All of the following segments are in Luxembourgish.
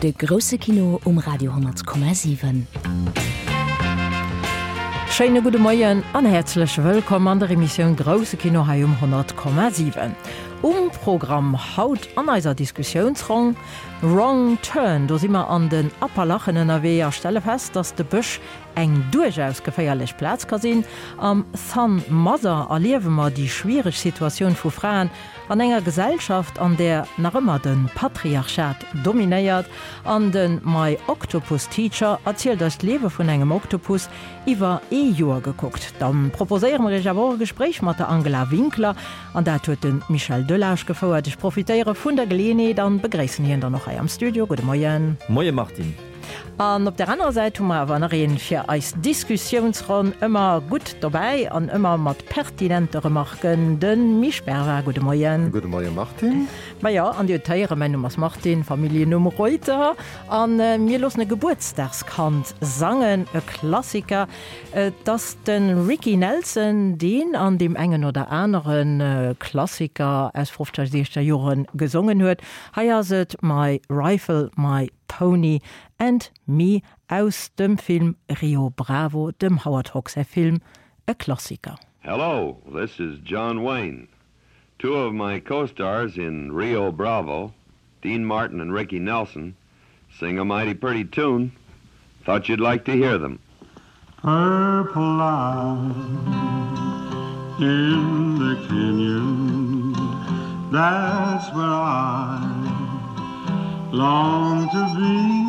De grousse Kino um Radio 10,7. Schéine gudde Moien an häerzlech wëllkomm an der Emissioun Grousse Kino hei um 100,7. Um Programm haut an eiser Diskussiounsronn, Wrong Turn, do si mer an den Appalachen ënnerwee a stelle fest, dass de Bësch eng duerchaus geféierlech Plaz ka sinn. Am Than Mother erliewe mer déi schwiereg Situatioun vu Fraen an enger Gesellschaft, an där nach ëmmer de Patriarchat dominéiert. An de My Octopus Teacher erzielt eis d'Liewe vun engem Oktopus iwwer ee Joer gekuckt. Da proposéiere mer iech awer och e Gespréich mat der Angela Winkler, an dat huet de Michel Delage gefouert. Ech profitéiere vun der Geleeënheet an begréissen hien dann och hei am Studio. Gudde Moien. Moie Martine. An op der anerer Säit hu mer awer nach een fir eis Diskussiounsronn ëmmer gutt dobäi an ëmmer mat pertinente Remarken, de Misch Bervard. Gudde Moien. Gudde Moie Martine. Majo, an Dir hutt héieren, mäin Numm ass Martine, Familljennumm Reuter. A mir loossen e Gebuertsdagskand sangen, e Klassiker. Et ass de Ricky Nelson, deen an deem engen oder anere Klassiker aus fofzeger, siechzeger Jore gesongen huet. Hei ass et My Rifle, My Pony and Me aus dem Film Rio Bravo, dem Howard Hawks säi Film, e Klassiker. Hello, this is John Wayne. Two of my co-stars in Rio Bravo, Dean Martin and Ricky Nelson, sing a mighty pretty tune. Thought you'd like to hear them. Purple light in the canyon, that's where I long to be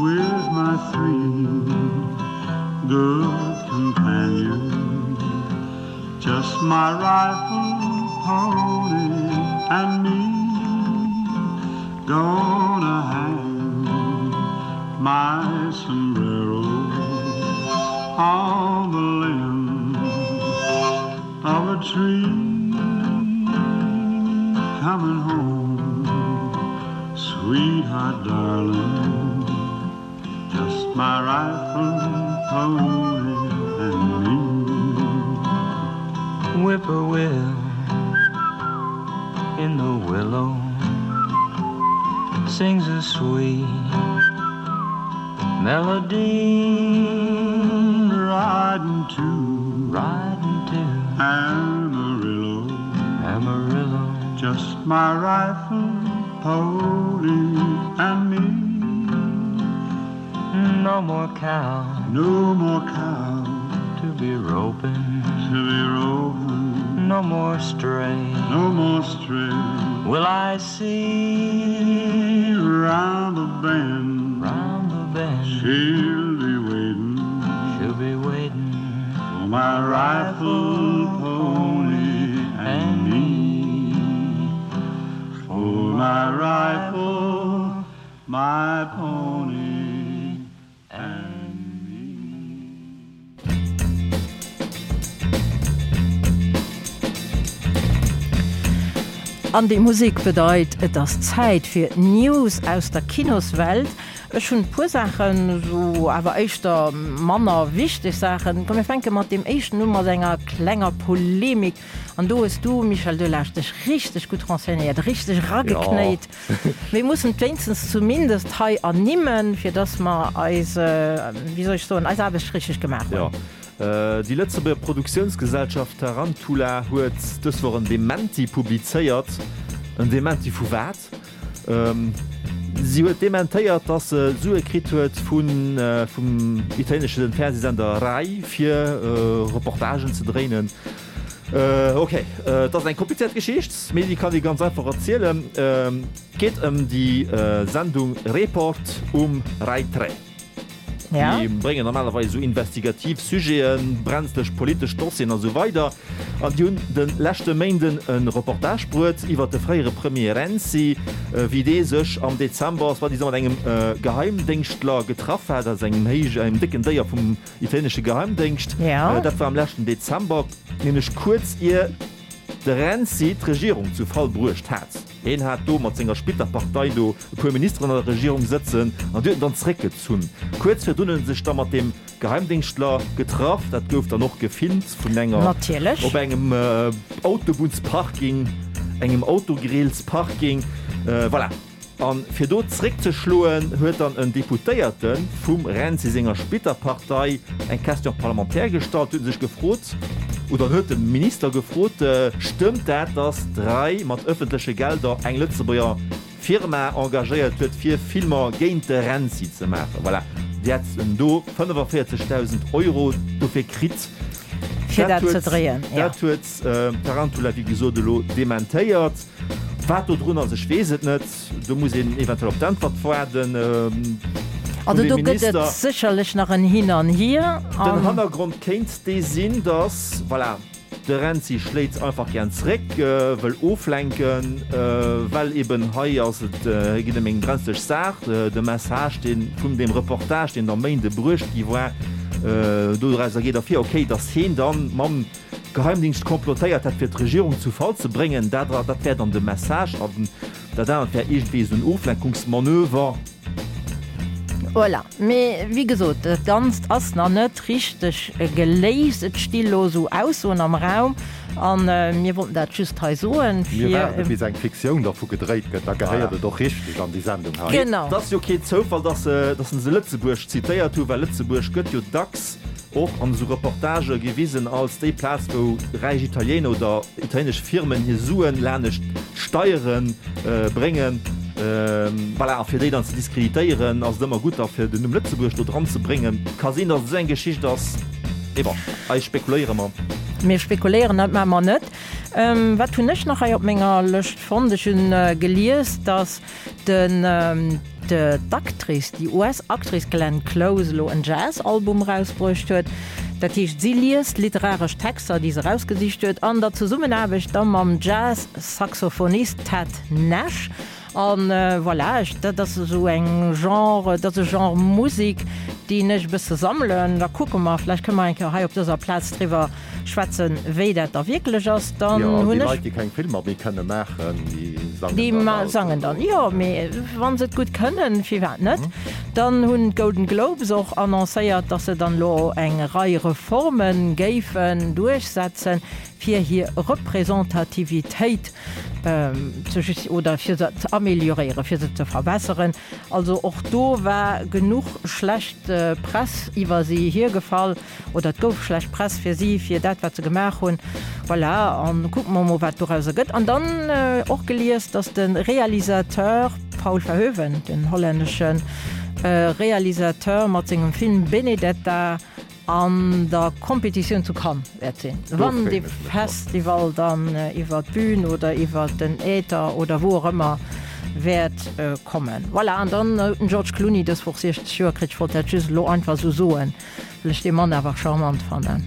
with my three good companions. Just my rifle, pony, and me. Gonna hang my sombrero on the limb of a tree. Coming home, sweetheart, darling. Just my rifle, pony, and me. Whippoorwill in the willow sings a sweet melody riding to riding to Amarillo Amarillo just my rifle pony and me no more cow no more cow to be roping to be roping no more stray no more stray will I see round the bend round the bend she'll be waiting she'll be waiting for my rifle pony and me for my rifle my pony and me. An déi Musek bedeit, et ass Zäit fir News aus der Kinoswelt. Ech hunn e puer Saachen, esou awer éischter manner wichteg Saachen. Komm mir fänke mat deem éischten u mat enger klenger Polemik. An do hues du, Michel Delage, dech richteg gutt renseignéiert, richteg erageknéit. Mir mussen et wéinstens zumindest hei ernimmen, fir dass mer eis, wéi soll ech soen, eis Aarbecht richteg gemaach hunn. Jo. Déi Lëtzebuerger Produktiounsgesellschaft Tarantula huet dës Woch en Dementi publizéiert. En Dementi vu wat? Si huet dementéiert, dass se Sue kritt huet vun vum italienesche Fernsehsender Rai, fir Reportagen ze dréinen. Ok, et ass eng komplizéiert Geschicht, mee déi kann ee ganz einfach erzielen. Et geet ëm déi Sendung Report um Rai Tre. Déi bréngen normalerweis esou investigativ Sujeten, brenzlech politesch Dossieren a sou weider. An déi hunn de leschte Méinden e Reportage bruet iwwer de fréiere Premier Renzi, wéi dee sech am Dezember soi-disant mat engem Geheimdéngschtler getraff hat, also engem héij, engem décken Déier vum Italienesche Geheimdéngscht. Dat war am leschten Dezember, nämlech kuerz ier de Renzi d'Regierung zu Fall bruecht hat. Hien hat do mat senger Splitterpartei do e puer Ministeren an der Regierung sëtzen an déi huet en dann zeréckgezunn. Kuerz virdrun huet en sech da mat deem Geheimdéngschtler getraff. Dat gouf dann och gefilmt vun enger op engem Autobunnsparking, engem Autogrillsparking. Voilà. A fir do zréckzeschloen, huet dann en Deputéierte vum Renzi senger Splitterpartei eng Question parlementaire gestallt, huet sech gefrot, oder huet de Minister gefrot, Stëmmt dat, datt d'RAI mat ëffentleche Gelder eng Lëtzebuerger Firma engagéiert huet, fir Filmer géint de Renzi ze maachen? Voilà, déi hätt en do 45.000 Euro dofir kritt. Fir dat ze dréien, jo. Dat huet d'Tarantula, wéi gesot, elo dementéiert. Wat do drun ass, ech weess et net. Do muss een eventuell op d'Äntwert waarden vun Also dem do gëtt et Minister. sécherlech nach en Hin an Hier. Den Hannergrond kéint dee sinn, datt, voilà, de Renzi schléit einfach gären zréck, wëll oflenken, well eben hei ass et, hei geet ëm eng brenzlech Saach. De Message, dee vum deem Reportage, deen am Méinde bruecht gi war, dorauser geet ervir, okay, datt heen dann mam Geheimdingscht komplotéiert hätt fir d'Regierung zu Fall ze bréngen, dat dat wär dann de Message an dat anert wär iergendwéi esou en Oflenkungsmanöver. Voilà. Mee wéi gesot, dat Ganzt ass nach net richteg geléist. Et sti lo esou Aussoen am Raum a mir wollten dat just hei soen, Mir fir. waarde bis eng Fiktioun dervu gedréit gëtt, da gehéiert et och richteg an déi Sendung hei. Genau. Et ass jo keen Zoufall, dass se dass se Lëtzebuerg zitéiert hu, well Lëtzebuerg gëtt jo dacks och an esou Reportagë gewisen als déi Plaz wou räich Italiener oder italienesch Firmen hir Suen lanescht d'Steiere bréngen. Voilà, a fir déi dann ze diskreditéieren ass et ëmmer gutt da fir den Numm Lëtzebuerg do dran ze bréngen. Ka sinn, datt et esou eng Geschicht ass, mee bon, hei spekuléiere mer. Mir spekuléieren, dat maache mer net. Wat hunn ech nach hei op menger Lëscht fonnt? Ech hunn gelies, datt Den d'Actrice, déi US-Actrice Glenn Close elo en Jazz-Album erausbruecht huet. Dat heescht, si liest literaresch Texter, déi se erausgesicht huet, an der Zesummenaarbecht da mam Jazz-Saxophonist Ted Nash. A voilà, ech, dat ass esou eng Genre, dat ass e Genre Musek, deen ech e bësse sammelen. Da kucke mer, vläicht kënne mer eng Kéier hei op dëser Plaz driwwer Schwätzen, wéi dat da wierklech ass, dann Jo, hunn déi ech. Leit, déi keng Filmer méi kënne maachen, déi sangen Déi dann alt. sangen dann, jo, mee wa se et gutt kënnen, firwat net? Dann hunn d'Golden Globes och annoncéiert, dass se dann elo eng Rei Reforme géifen duerchsetzen, fir hir Representativitéit ze just oder fir se ze amélioréieren, fir se ze verbesseren. Also och do war genuch schlecht Press iwwer si hiergefall. Oder et gouf schlecht Press fir si, fir dat, wat se gemaach hunn. Voilà, a kucke mer emol, wat dorauser gëtt. An dann och gelies, datt de Realisateur Paul Verhoeven, den hollännesche Realisateur, mat sengem Film Benedetta an der Competitioun zu Cannes wäert sinn, wann dee Festival dann iwwer d'Bün oder iwwer den Äther oder wou och ëmmer wäert kommen. Voilà, an dann huet den George Clooney dës Woch 60 Joer kritt. Ech wollt dat just elo einfach esou soen. Well ech dee Mann awer charmant fannen.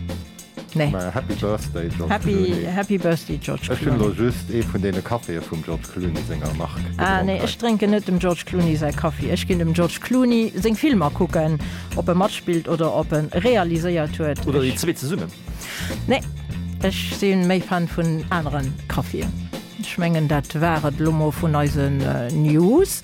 Nee. Mä Happy Birthday, George Happy, Clooney. Happy Birthday, George Ech hunn Clooney. elo just ee vun deene Caféë vum George Clooney senger Mark Ah, gedronk nee, hei. ech drénken net dem George Clooney säi Kaffi. Ech ginn dem George Clooney seng Filmer kucken, ob e matspillt oder ob e realiséiert huet. Oder déi Ech, zwee zesummen. nee, ech si méi Fan vun anere Kaffien. Ech mengen, dat war et elo mol vun eisen News.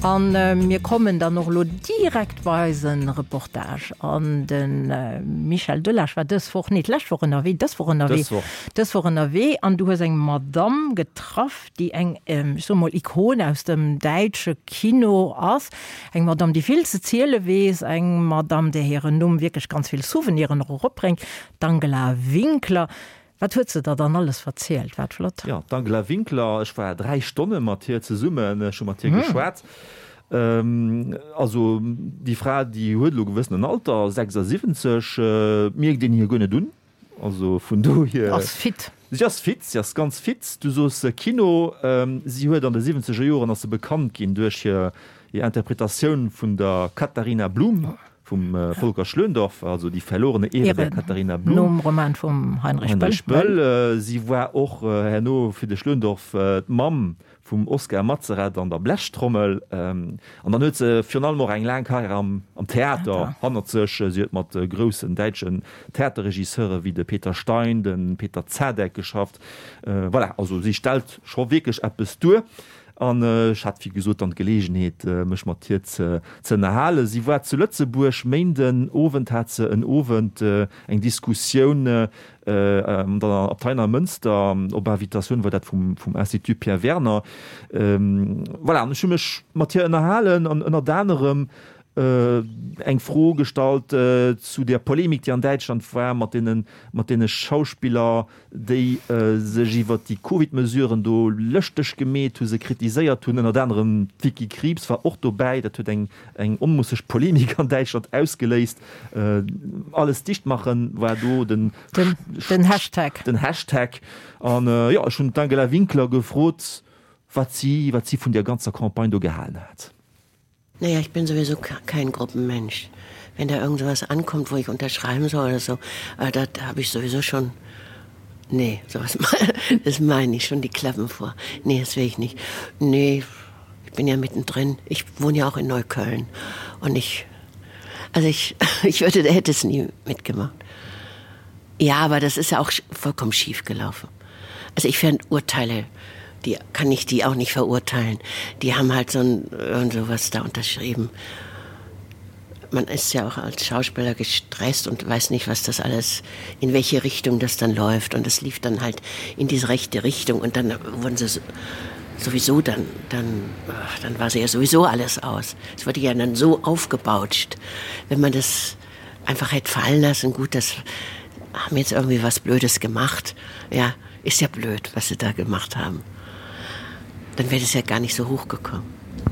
A mir kommen dann och elo direkt bei eise Reportage. An de Michel Delage war dës Woch, nee, d'lescht Woch ënnerwee, dës Woch ënnerwee, Dës Woch. dës Woch ënnerwee. An du hues eng Madamm getraff, déi eng, ech soe mol, Ikon aus dem däitsche Kino ass. Eng Madamm, déi vill ze ziele weess, eng Madamm, där hiren Numm wierklech ganz vill Souveniren och eropbréngt, d'Angela Winkler. Wat huet se der dann alles verzielt? Wat flott. Jo, d'Angela Winkler, ech war 3 Stonne mat hir zesummen, ech hu mat hir geschwat. Also déi Fra, déi huet elo gewëssen en Alter, 76, mierkt een hir guer net un. Also vun dohier. Ass fit. Si ass fit, si ass ganz fit. Du soos Kino, si huet an de siwwenzeger Joren ass se bekannt ginn duerch hir Interpretatioun vun der Katharina Blum. Vum Volker Schlöndorff, also Die verlorene Ehre der Katharina Blum. Nom Roman vum Heinrich Böll. Heinrich Böll. Si war och herno fir de Schlöndorff d'Mamm vum Oskar Matzerath an der Blechtrommel. An dann huet se virun allem och eng laang Karriär am Theater hannert sech. Si huet mat groussen däitschen Theaterregisseure wéi de Peter Stein, de Peter Zadek geschafft. Voilà, also si stellt scho wierklech eppes duer. An ech hat, wéi gesot, dann d'Geleegenheet, mech mat hir ze ënnerhalen. Si war zu Lëtzebuerg. Méinden Owend hat se en Owend eng Diskussioun an der Abtei Neimënster, op Invitatioun war dat vum Institut Pierre Werner. Voilà, an ech hu mech mat hir ënnerhalen an ënnert anerem eng Fro gestallt zu der Polemik, déi an Däitschland war mat deene mat deene Schauspiller, déi sech iwwert déi Covid-Mesuren do lëschteg gemeet hu, se kritiséiert hunn. Ënnert anerem d'Vicky Krieps war och dobäi. Dat huet eng eng onmusseg Polemik an Däitschland ausgeléist. Alles dicht machen war do den Den Hashtag. Den Hashtag. An jo, ech hunn d'Angela Winkler gefrot, wat si wat si vun där ganzer Campagne do gehalen hat. Naja, ich bin sowieso kein Gruppenmensch. Wenn da irgend sowas ankommt, wo ich unterschreiben soll oder so, äh, da habe ich sowieso schon nee, sowas das meine ich schon die Klappen vor. Nee, das will ich nicht. Nee, ich bin ja mittendrin. Ich wohne ja auch in Neukölln und ich also ich, ich würde hätte es nie mitgemacht. Ja, aber das ist ja auch vollkommen schief gelaufen. Also ich fände Urteile, die kann ich die auch nicht verurteilen. Die haben halt so ein und sowas da unterschrieben. Man ist ja auch als Schauspieler gestresst und weiß nicht, was das alles in welche Richtung das dann läuft und es lief dann halt in diese rechte Richtung und dann wurden sie sowieso dann dann ach, dann war sie ja sowieso alles aus. Es wurde ja dann so aufgebautscht, wenn man das einfach hätte fallen lassen gut das haben jetzt irgendwie was Blödes gemacht. Ja, ist ja blöd, was sie da gemacht haben. Dann wäre es ja gar nicht so hochgekommen.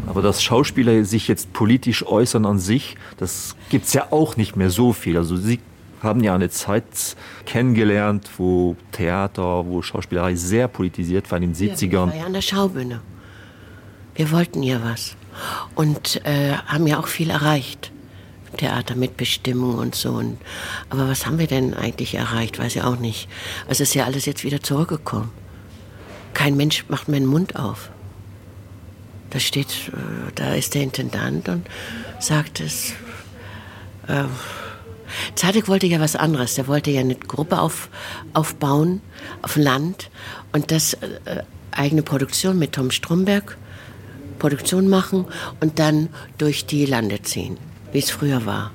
Aber dass Schauspieler sich jetzt politisch äußern an sich, das gibt es ja auch nicht mehr so viel. Also sie haben ja eine Zeit kennengelernt, wo Theater, wo Schauspielerei sehr politisiert war in den 70ern. Ja, ja an der Schaubühne. Wir wollten ja was und äh, haben ja auch viel erreicht. Theater mit Bestimmung und so. Und, aber was haben wir denn eigentlich erreicht, weiß ich auch nicht. Es ist ja alles jetzt wieder zurückgekommen. Kein Mensch macht meinen Mund auf. Da steht, äh, da ist der Intendant und sagt es. Äh, Zadek wollte ja was anderes. Der wollte ja eine Gruppe auf, aufbauen auf dem Land und das äh, eigene Produktion mit Tom Stromberg Produktion machen und dann durch die Lande ziehen, wie es früher war.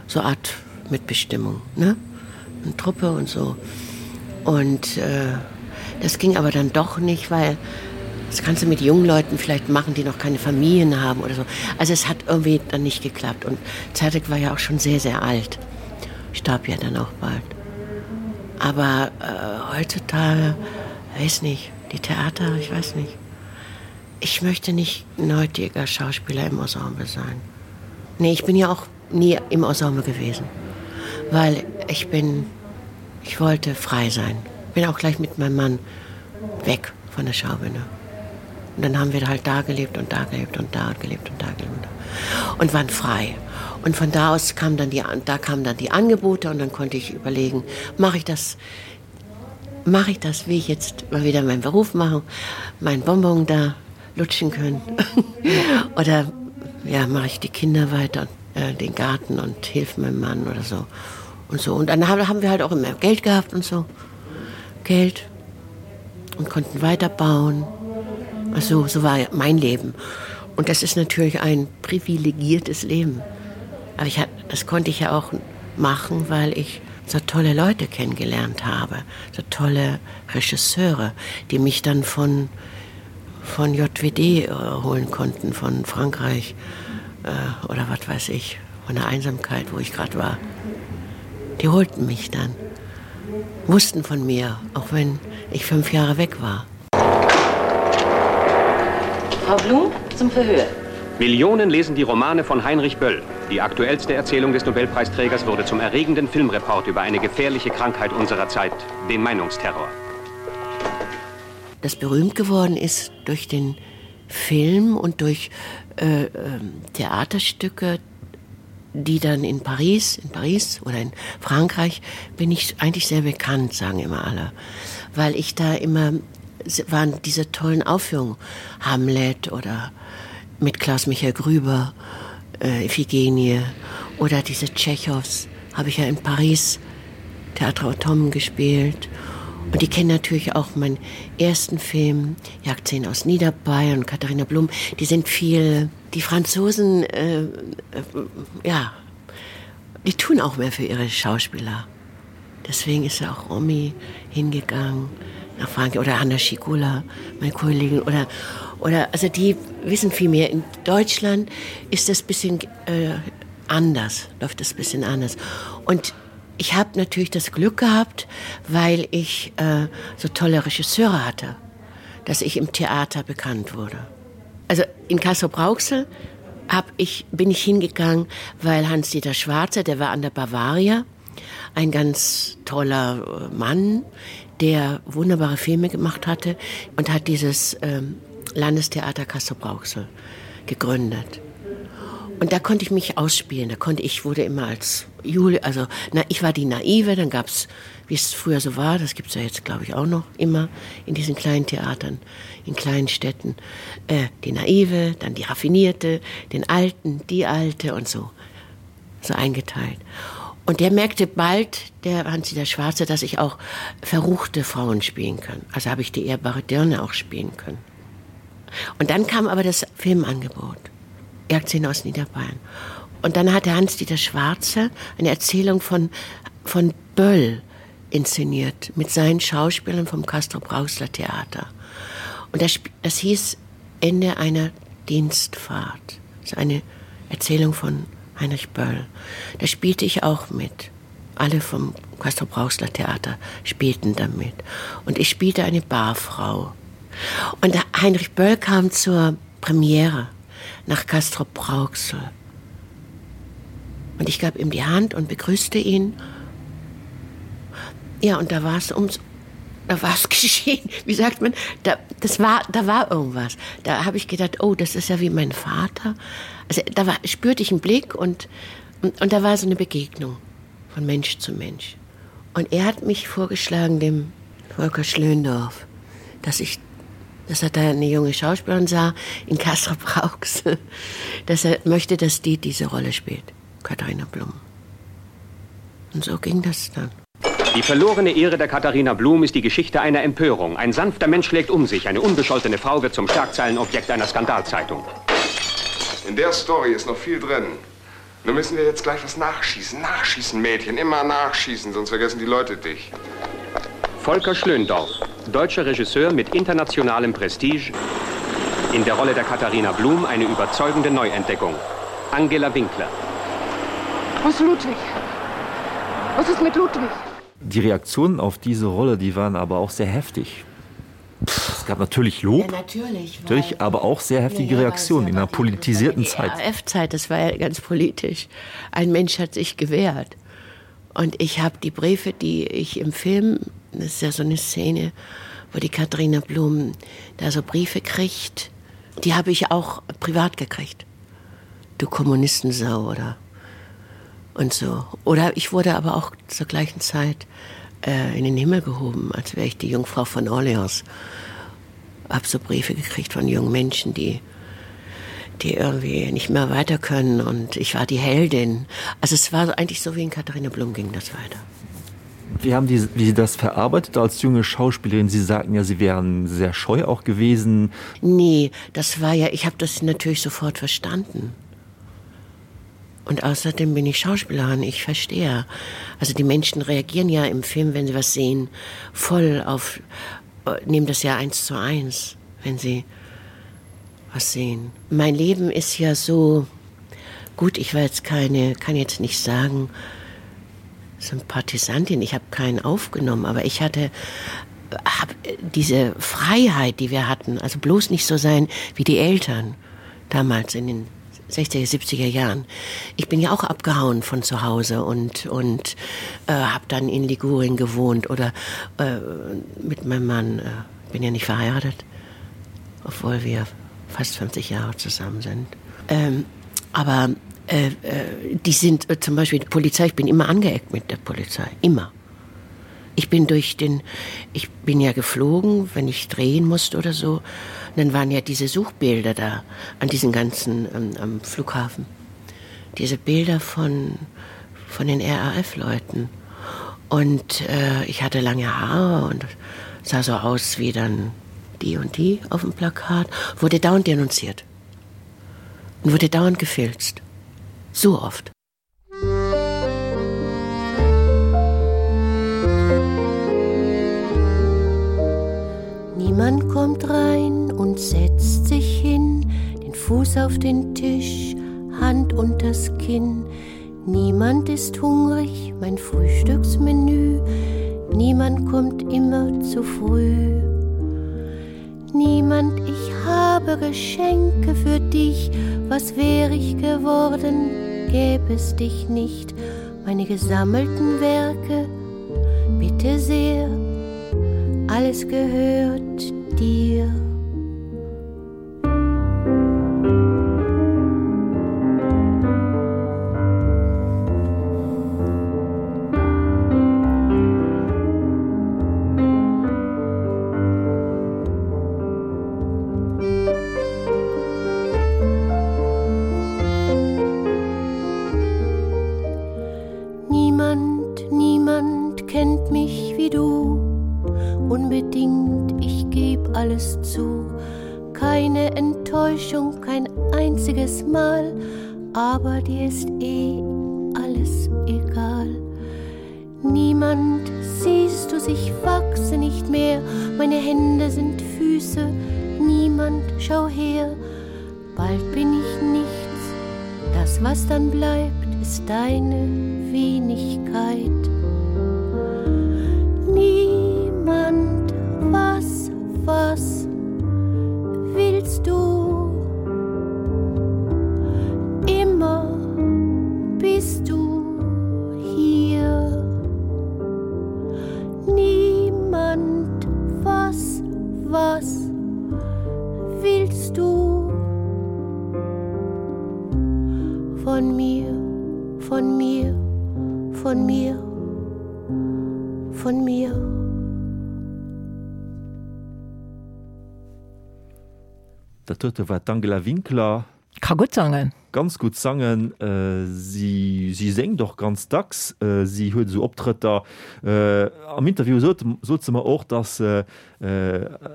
So Art Mitbestimmung ne? Und Truppe und so. Und äh, das ging aber dann doch nicht, weil das kannst du mit jungen Leuten vielleicht machen, die noch keine Familien haben oder so. Also es hat irgendwie dann nicht geklappt. Und Zadek war ja auch schon sehr, sehr alt. Starb ja dann auch bald. Aber äh, heutzutage weiß nicht, die Theater, ich weiß nicht. Ich möchte nicht neutiger Schauspieler im Ensemble sein. Nee, ich bin ja auch nie im Ensemble gewesen, weil ich bin ich wollte frei sein. Bin auch gleich mit meinem Mann weg von der Schaubühne. Und dann haben wir halt da gelebt und da gelebt und da gelebt und da gelebt und waren frei. Und von da aus kam dann die da kamen dann die Angebote und dann konnte ich überlegen, mache ich das mache ich das, wie ich jetzt mal wieder meinen Beruf machen, mein Bonbon da lutschen können oder ja mache ich die Kinder weiter äh, den Garten und hilf meinem Mann oder so und so und dann haben wir halt auch immer Geld gehabt und so Geld und konnten weiterbauen also so war mein Leben und das ist natürlich ein privilegiertes Leben aber ich hat das konnte ich ja auch machen weil ich so tolle Leute kennengelernt habe so tolle Regisseure die mich dann von von JWD äh, holen konnten von Frankreich äh, oder was weiß ich von der Einsamkeit wo ich gerade war die holten mich dann wussten von mir auch wenn ich fünf Jahre weg war Frau Blum zum Verhör. Millionen lesen die Romane von Heinrich Böll. Die aktuellste Erzählung des Nobelpreisträgers wurde zum erregenden Filmreport über eine gefährliche Krankheit unserer Zeit, den Meinungsterror. Das berühmt geworden ist durch den Film und durch äh, ähm, Theaterstücke, die dann in Paris, in Paris oder in Frankreich bin ich eigentlich sehr bekannt, sagen immer alle, weil ich da immer waren diese tollen Aufführungen Hamlet oder mit Klaus Michael Grüber, äh, Iphigenie oder diese Tschechows habe ich ja in Paris Theater Automne gespielt. Und die kennen natürlich auch meinen ersten Film Jagd 10 aus Niederbayern und Katharina Blum. Die sind viel die Franzosen äh, äh, ja die tun auch mehr für ihre Schauspieler. Deswegen ist ja auch Romy hingegangen nach Frankreich oder Anna Schigula, meine Kollegin oder oder also die wissen viel mehr. In Deutschland ist das bisschen äh, anders, läuft das bisschen anders. Und ich habe natürlich das Glück gehabt, weil ich äh, so tolle Regisseure hatte, dass ich im Theater bekannt wurde. Also in Kassel Brauxel hab ich, bin ich hingegangen, weil Hans-Dieter Schwarze, der war an der Bavaria, ein ganz toller äh, Mann, der wunderbare Filme gemacht hatte und hat dieses ähm, Landestheater Kassel Brauxel gegründet. Und da konnte ich mich ausspielen, da konnte ich wurde immer als Juli, also na, ich war die naive, dann gab es, wie es früher so war, das gibt es ja jetzt glaube ich auch noch immer in diesen kleinen Theatern, in kleinen Städten, äh, die naive, dann die raffinierte, den alten, die alte und so so eingeteilt. Und der merkte bald, der Hansi der Schwarze, dass ich auch verruchte Frauen spielen kann. Also habe ich die ehrbare Dirne auch spielen können. Und dann kam aber das Filmangebot. Jagdszene aus Niederbayern. Und dann hatte Hans-Dieter Schwarze eine Erzählung von, von Böll inszeniert mit seinen Schauspielern vom Castro Brausler Theater. Und das, das hieß Ende einer Dienstfahrt. Das ist eine Erzählung von Heinrich Böll. Da spielte ich auch mit. Alle vom Castro Brausler Theater spielten damit. Und ich spielte eine Barfrau. Und Heinrich Böll kam zur Premiere nach Castro Brauxel. Und ich gab ihm die Hand und begrüßte ihn. Ja, und da war es ums da war es geschehen. Wie sagt man, da, das war, da war irgendwas. Da habe ich gedacht, oh, das ist ja wie mein Vater. Also da war, spürte ich einen Blick und, und, und da war so eine Begegnung von Mensch zu Mensch. Und er hat mich vorgeschlagen dem Volker Schlöndorf, dass ich dass er da eine junge Schauspielerin sah in Castro Brauxel, dass er möchte, dass die diese Rolle spielt, Katharina Blum. Und so ging das dann. Die verlorene Ehre der Katharina Blum ist die Geschichte einer Empörung. Ein sanfter Mensch schlägt um sich. Eine unbescholtene Frau wird zum Schlagzeilenobjekt einer Skandalzeitung. In der Story ist noch viel drin. Nun müssen wir jetzt gleich was nachschießen. Nachschießen, Mädchen, immer nachschießen, sonst vergessen die Leute dich. Volker Schlöndorff, deutscher Regisseur mit internationalem Prestige, in der Rolle der Katharina Blum eine überzeugende Neuentdeckung. Angela Winkler. Wo ist Ludwig? Was ist mit Ludwig? Die Reaktionen auf diese Rolle, die waren aber auch sehr heftig. Es gab natürlich Lob, ja, natürlich, natürlich, aber auch sehr heftige ja, Reaktionen in einer politisierten Zeit. F-Zeit, das war ja ganz politisch. Ein Mensch hat sich gewehrt. Und ich habe die Briefe, die ich im Film, das ist ja so eine Szene, wo die Katharina Blum da so Briefe kriegt, die habe ich auch privat gekriegt. Du Kommunistensau oder und so. Oder ich wurde aber auch zur gleichen Zeit äh, in den Himmel gehoben, als wäre ich die Jungfrau von Orleans. Hab so Briefe gekriegt von jungen Menschen, die, die irgendwie nicht mehr weiter können und ich war die Heldin. Also es war eigentlich so wie in Katharina Blum ging das weiter. Wie haben die, wie Sie das verarbeitet als junge Schauspielerin? Sie sagten ja, Sie wären sehr scheu auch gewesen. Nee, das war ja, ich habe das natürlich sofort verstanden. Und außerdem bin ich Schauspielerin, ich verstehe. Also die Menschen reagieren ja im Film, wenn sie was sehen, voll auf äh, nehmen das ja eins zu eins, wenn sie was sehen. Mein Leben ist ja so gut, ich war jetzt keine, kann jetzt nicht sagen, Sympathisantin, ich habe keinen aufgenommen, aber ich hatte hab diese Freiheit, die wir hatten, also bloß nicht so sein wie die Eltern damals in den 60er, 70er Jahren. Ich bin ja auch abgehauen von zu Hause und, und äh, habe dann in Ligurien gewohnt oder äh, mit meinem Mann äh, bin ja nicht verheiratet, obwohl wir fast 50 Jahre zusammen sind. Ähm, aber äh, äh, die sind äh, zum Beispiel die Polizei, ich bin immer angeeckt mit der Polizei, immer. Ich bin durch den ich bin ja geflogen, wenn ich drehen musste oder so. Und dann waren ja diese Suchbilder da an diesen ganzen ähm, am Flughafen. Diese Bilder von, von den RAF-Leuten. Und äh, ich hatte lange Haare und sah so aus wie dann die und die auf dem Plakat, wurde dauernd denunziert und wurde dauernd gefilzt. So oft. Niemand kommt rein und setzt sich hin, den Fuß auf den Tisch, Hand unters Kinn. Niemand ist hungrig, mein Frühstücksmenü. Niemand kommt immer zu früh. Niemand, ich habe Geschenke für dich, was wäre ich geworden, gäbe es dich nicht. Meine gesammelten Werke, bitte sehr, alles gehört dir. Niemand, niemand kennt mich wie du. Unbedingt, ich geb alles zu. Keine Enttäuschung, kein einziges Mal, aber dir ist eh alles egal. Niemand siehst du sich wachse nicht mehr, meine Hände sind Füße, niemand schau her, bald bin ich nichts, das was dann bleibt, ist deine Wenigkeit. Niemand was was willst du? Immer bist du hier. Niemand was was willst du? Von mir, von mir, von mir, von mir. Dat dote war d'Angela Winkler. Ka gutt sangen. Ganz gutt sangen. Si si séngt och ganz dacks. Si huet esou Optrëtter. Am Interview sot sot se mer och, datt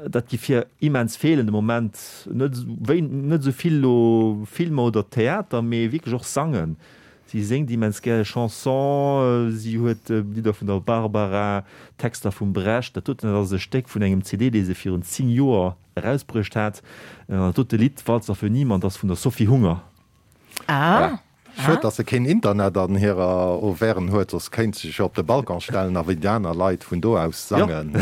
dat giff hir immens feelen de Moment. Net wéi net esou vill elo Filmer oder Theater, mee wierklech och sangen. Si séngt immens gäre Chanson. Si huet Lidder vun der Barbara, Texter vum Brecht. Dat doten dat ass e Stéck vun engem CD, dee se virun 10 Joer Erausbruecht hat. An dat dote Lidd Walzer für niemand ass vun der Sophie Hunger. Ah. Schued, dass se keen Internet an hirer Auvergne huet, soss kéint se sech jo op de Balcon stellen a wéi déi aner Leit vun do aus sangen.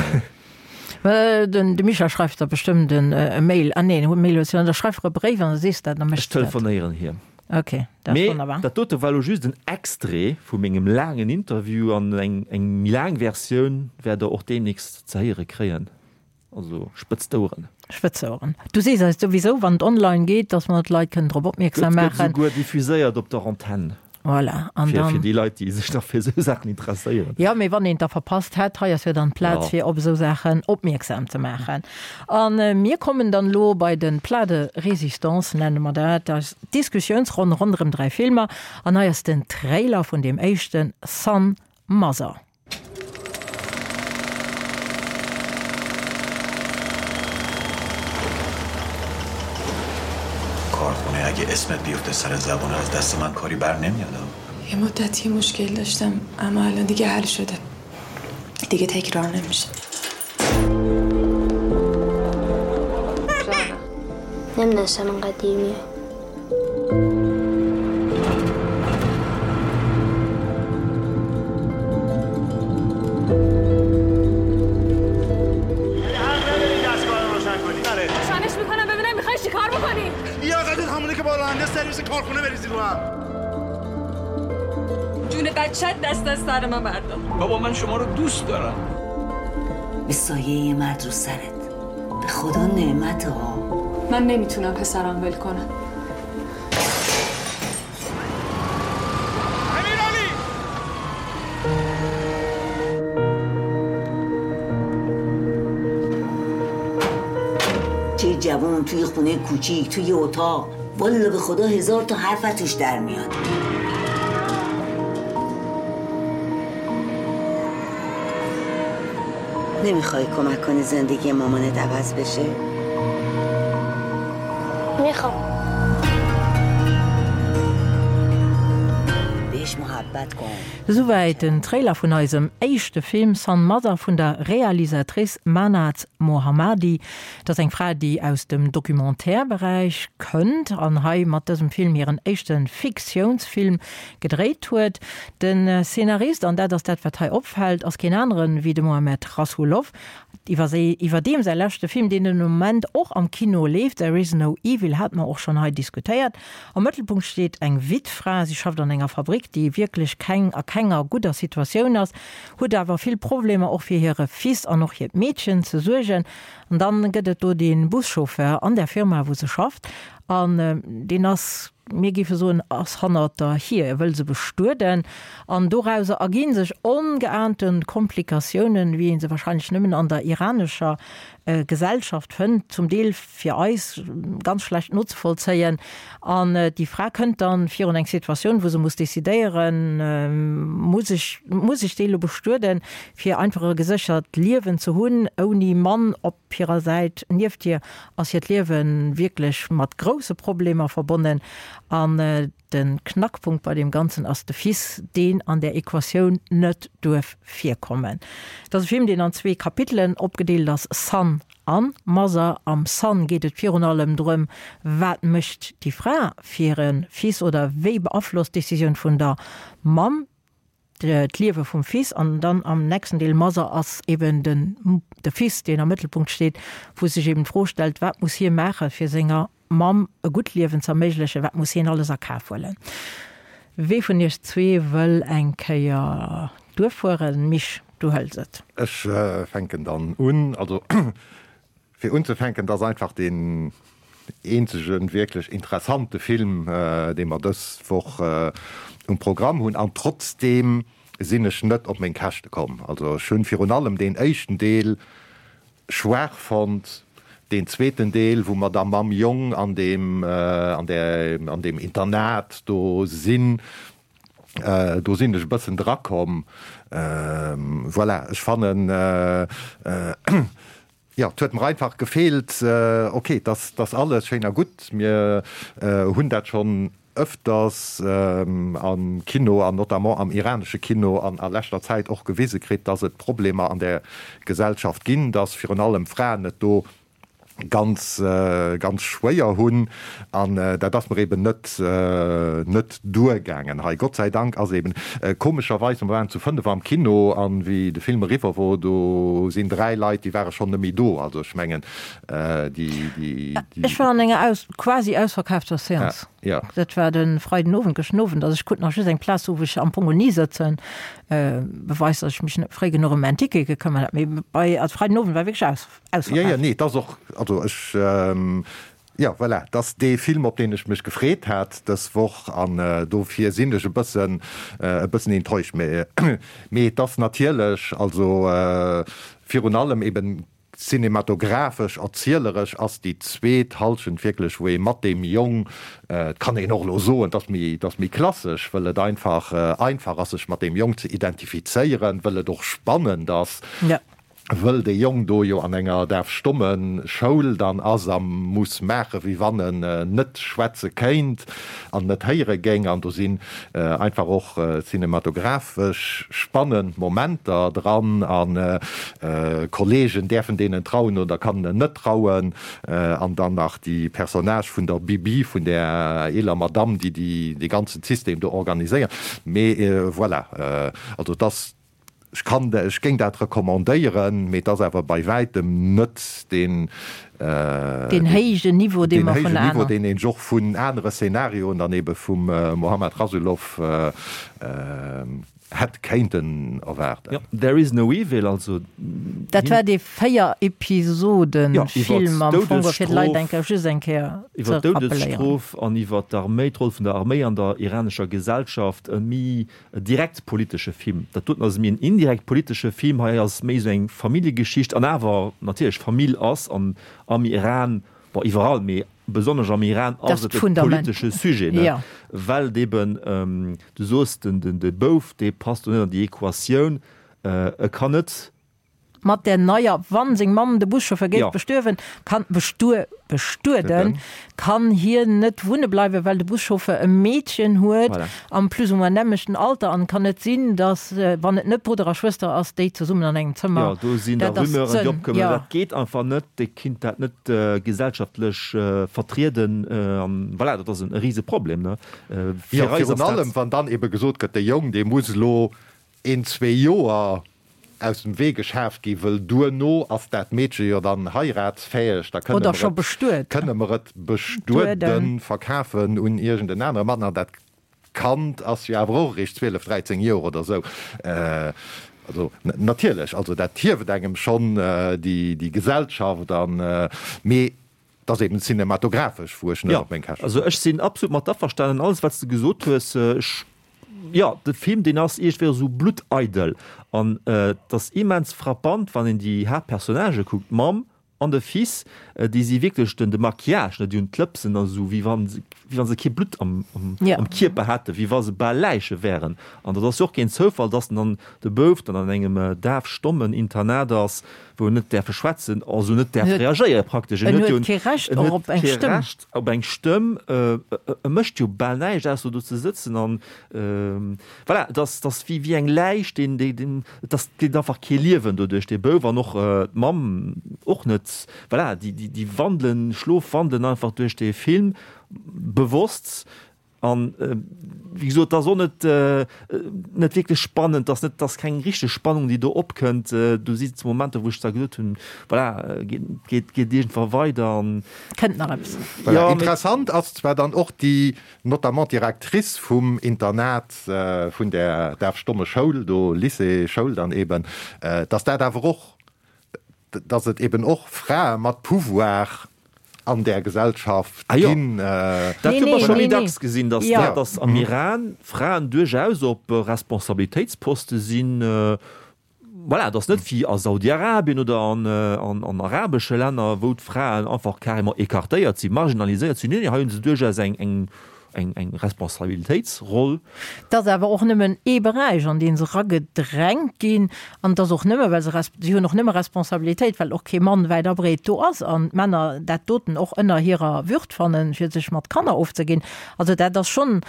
De Micha schreift der bestëmmt e Mail. Ah neen, e Mail huet se net. Da schreif e Bréif an da sees de dat, da mécht se dat. Ech telefonéieren hir. Ok, dat ass wonnerbar. Mee dat dote war elo just en Extrait vu mengem laangen Interview an eng méi laang Versioun wäert der och deemnächst ze héiere kréien. Also spëtz d'Oueren. Spëtz d'Oueren. Du sees eis souwisou, wann et online geet, dass mer d'Leit kënnen drop opmierksam maachen. Gëtt souguer diffuséiert op der Antenn. Voilà. An dann. Fir déi Leit, déi sech nach fir esou Saachen interesséieren. Jo, mee wann een et da verpasst hätt, hei ass jo dann d'Plaz, fir op esou Saachen opmierksam ze maachen. A mir kommen dann elo bei de Plat de résistance, nenne mer dat, eis Diskussiounsronn ronderëm 3 Filmer. An hei ass den Trailer vun deem éischten, Son Mother. کارخونه اگه اسمت بیفته سر زبون از دست من کاری بر نمیاد یه مدتی مشکل داشتم اما الان دیگه حل شده دیگه تکرار نمیشه نمیدونستم انقدر دیر میای روشنش میکنم ببینم میخوای چیکار بکنی لیاقتت همونه که با راننده سرویس کارخونه بریزی رو هم جون بچت دست از سر من بردار بابا من شما رو دوست دارم به سایه مرد رو سرت به خدا نعمت ها من نمیتونم پسرم ول کنم چه جوان توی خونه کوچیک توی اتاق والا به خدا هزار تا حرف توش در میاد. نمیخوای کمک کنی زندگی مامانت عوض بشه؟ میخوام بهش محبت کن Souwäit den Trailer vun eisem éischte Film San Mother vun der Realisatrice Mahnaz Mohammadi. Dat ass eng Fra, déi aus dem Documentaire-Beräich kënnt an hei mat dësem Film hiren éischte Fiktiounsfilm gedréit huet. De Szenarist, an dat ass dat, wat hei opfält, ass keen aneren wéi de Mohamed Rasoulof, iwwerdeem säi leschte Film, deen den Moment och am Kino leeft, There is no evil, hate mer och schonn hei diskutéiert. Am Mëttelpunkt steet eng Wittfra, si schafft an enger Fabrick, déi wierklech keng a kenger gudder Situatioun ass, huet awer vill Problemer och fir hire Fils an och hiert Meedchen ze suergen. An dann gëtt et do dee Buschauffeur an där Firma, wou se schafft, an deen ass, mir géife soen, ass hannert der hier, e wëll se bestueden. An dorauser erginn sech ongeahnte Komplikatiounen, wéi ee se wahrscheinlech nëmmen an der iranescher Gesellschaft fënnt, zum Deel fir eis ganz schlecht nozevollzéien. An déi Fra kënnt dann virun eng Situatioun, wou se muss decidéieren, Muss ech, muss ech dee lo bestueden, fir einfach e geséchert Liewen ze hunn, ouni Mann op hirer Säit nieft hir, ass hiert Liewe wierklech mat grousse Problemer verbonnen. An de Knackpunkt bei deem Ganzen ass de Fils, deen an där Equatioun net duerf virkommen. Et ass e Film, deen an zwee Kapitelen opgedeelt ass, Son an Mother. Am Son geet et virun allem drëm, wat mécht déi Fra fir e Fils oder wéi beaflosst d'Decisioun vun der Mamm d'Liewe vum Fils. An dann am nächsten Deel, Mother, ass eben den de Fils, deen am Mëttelpunkt steet, wou sech eben d'Fro stellt, wat muss hie maache fir senger Mamm e gutt Liewen z'erméiglechen, wat muss hien alles a Kaf huelen? Wee vun iech zwee wëll eng Kéier duerfueren? Misch, du hëls et. Ech fänken dann un. Also fir unzefänken, et ass einfach deen eenzege wierklech interessante Film, dee mer dës Woch um Programm hunn. An trotzdeem sinn ech net op meng Käschte komm. Also ech hunn virun allem deen éischten Deel schwaach fonnt. Deen zweeten Deel, wou mer da mam Jong an deem, an där, an deem Internat do sinn, do sinn ech e bëssen drakomm. Voilà, ech fannen, jo, et huet mer einfach gefeelt, ok, et ass, et ass alles schéin a gutt, mir hunn dat schonn ëfters am Kino an notamment am iranesche Kino an a leschter Zäit och gewise kritt, dass et Problemer an där Gesellschaft ginn, dass virun allem Fraen et do ganz, ganz schwéier hunn. An dat ass mer eben net, net duergaangen hei. Gott sei Dank ass eben, komescherweis, mer waren zu fënnef am Kino an wéi de Film eriwwer wor, do sinn dräi Leit, déi ware schonn net méi do. Also ech mengen, déi, déi, déi. Ech war an enger aus, quasi ausverkaafter Seance. Ja. Dat war de Freiden Owend, gëschten Owend. Also ech krut nach just eng Plaz, wou ech am Fong ni sëtzen. Beweist, datt ech mech net fréi genuch ëm mäin Ticket gekëmmert hat. Mee bei, also Freiden Owend war wierklech aus, ausverkaaft. Jo, jo, nee, et ass och, also ech, jo, voilà, et ass dee Film, op deen ech mech gefreet hat dës Woch an dofir sinn ech e bëssen, e bëssen enttäuscht. Mee, mee et ass natierlech, also virun allem eben Cinematographesch, erzieleresch ass déi zweet Halschent wierklech, wou ee mat deem Jong, et kann een och elo soen, et ass méi, et ass méi klassesch, wëll et einfach einfach ass, sech mat deem Jong ze identifizéieren, wëll et och spannend ass, wëll dee Jong do jo an enger daf-stomme Schoul dann ass a muss maache wéi wann en net schwätze kéint an net héiere géing. An do sinn einfach och cinematographesch spannend Momenter dran a Kollegen däerfen deenen trauen oder kann en net trauen an dann nach déi Personnage vun der Bibi, vun där eeler Madamm, déi dee ganzen System do organiséiert. Mee voilà, also et ass, ech kann, ech géing dat recommandéieren, mee et ass awer bei wäitem net deen, Deen héijen Niveau, dee mer vun aneren. Deen een och vun anere Szenarioen dann ebe vum Mohammad Rasoulof hätt kéinten erwaarden. Jo, There is no evil, also. Dat war dee 4 Episoden-Film am Fong, fir d'Leit eng Kéier, just eng Kéier ze rappelléieren. Iwwer d'Doudesstrof an iwwer d'Arméi, d'Roll vun der Arméi an der iranescher Gesellschaft, e méi direkt politesche Film. Dat doten ass méi en indirekt politesche Film. Hei ass méi esou eng Familljegeschicht an awer natierlech Famill ass an am Iran, bon iwwerall, mee besonnesch am Iran ass et e politesche Sujet, ne, well et eben, du soos den de Bouf, dee passt do net an déi Equatioun, e kann net. Mat där neier, wann seng Mamm de Buschauffeur géif bestuerwen, kann, bestuer, bestueden, kann hien net wunne bleiwen, well de Buschauffeur e Meedchen huet am plus ou moins nämmlechten Alter an et kann net sinn, dass, wann et net Brudder a Schwëster ass, déi zesummen an engem Zëmmer. Jo, do sinn da Rumeuren, déi opkommen. Dat geet einfach net, déi kinnt dat net gesellschaftlech vertrieden an voilà, dat ass e Riseproblem, ne? Jo, virun allem, wann dann ebe gesot gëtt, de Jong, dee muss elo een, zwee Joer aus dem Wee geschaaft gi, wëll duerno ass dat Meedche jo dann heiratsfäeg, da kënne mer et, kënne mer et bestueden, verkafen un iergend en anere Mann, an dat Kand ass jo awer och eréischt 12, 13 Joer oder esou. Also natierlech, also dat hieft engem schonn déi Gesellschaft an, mee Et ass eben cinematographesch, wou ech net op meng Käschte kommen. Also ech sinn absolut mat averstanen, alles wat s de gesot hues. Ech, jo, de Film deen ass iergendwéi esou blutteidel an et ass immens frappant, wann een déi Haaptpersonnagë kuckt, d'Mamm an de Fils, déi si wierklech den de Maquillage, ne, déi hunn d'Lëpsen a sou wéi wann se, wéi wann se kee Blutt am am Kierper hätten, wéi wa se bal Läiche wären. An dat ass jo och keen Zoufall, dass dann de Bouf dann an engem daf-stommen Internat ass, wou en net däerfe schwätzen, also net däerf reagéiere praktesch. En huet kee Recht och op eng Stëmm. Recht op eng Stëmm. E mécht jo bal näischt, ausser do ze sëtzen an voilà, et ass, et ass wéi, wéi eng Läich, deen, deen, deen, et ass, et geet einfach kee Liewen doduerch dee Bouf an och d'Mamm och net. Voilà, déi, déi, déi wandelen, schlofwandelen einfach duerch dee Film, bewosst. An wéi gesot, et ass och net, net wierklech spannend, et ass net, et ass keng richteg Spannung, déi do opkënnt. Do si Momenter, wou ech zwar gesot hunn, voilà, geet, geet, geet iergendwa weider an. Kënnt nach eppes. Voilà, interessant ass zwar dann och déi, notamment d'Directrice vum Internat vun där daf-stomme Schoul do, Lycée, Schoul dann eben, dass dat awer och dass et eben och Frae mat Pouvoir an där Gesellschaft ginn. Dat hu mer scho méi dacks gesinn, dass dass am Iran Fraen duerchaus op Responsabilitéitsposte sinn. Voilà, et ass net wéi a Saudi-Arabien oder an arabesche Länner, wou d'Fraen einfach carrément écartéiert sinn, marginaliséiert sinn. Nee, nee, hei hu se duerchaus eng eng eng Responsabilitéitsroll. Et ass awer och nëmmen ee Beräich, an dee se eragedrängt ginn. An et ass och nëmme, well se, si hunn och nëmme Responsabilitéit, well och kee Mann wäit a breet do ass an d'Männer dat doten och ënner hirer Würd fannen, fir sech mat Kanner ofzeginn. Also dat ass schonn,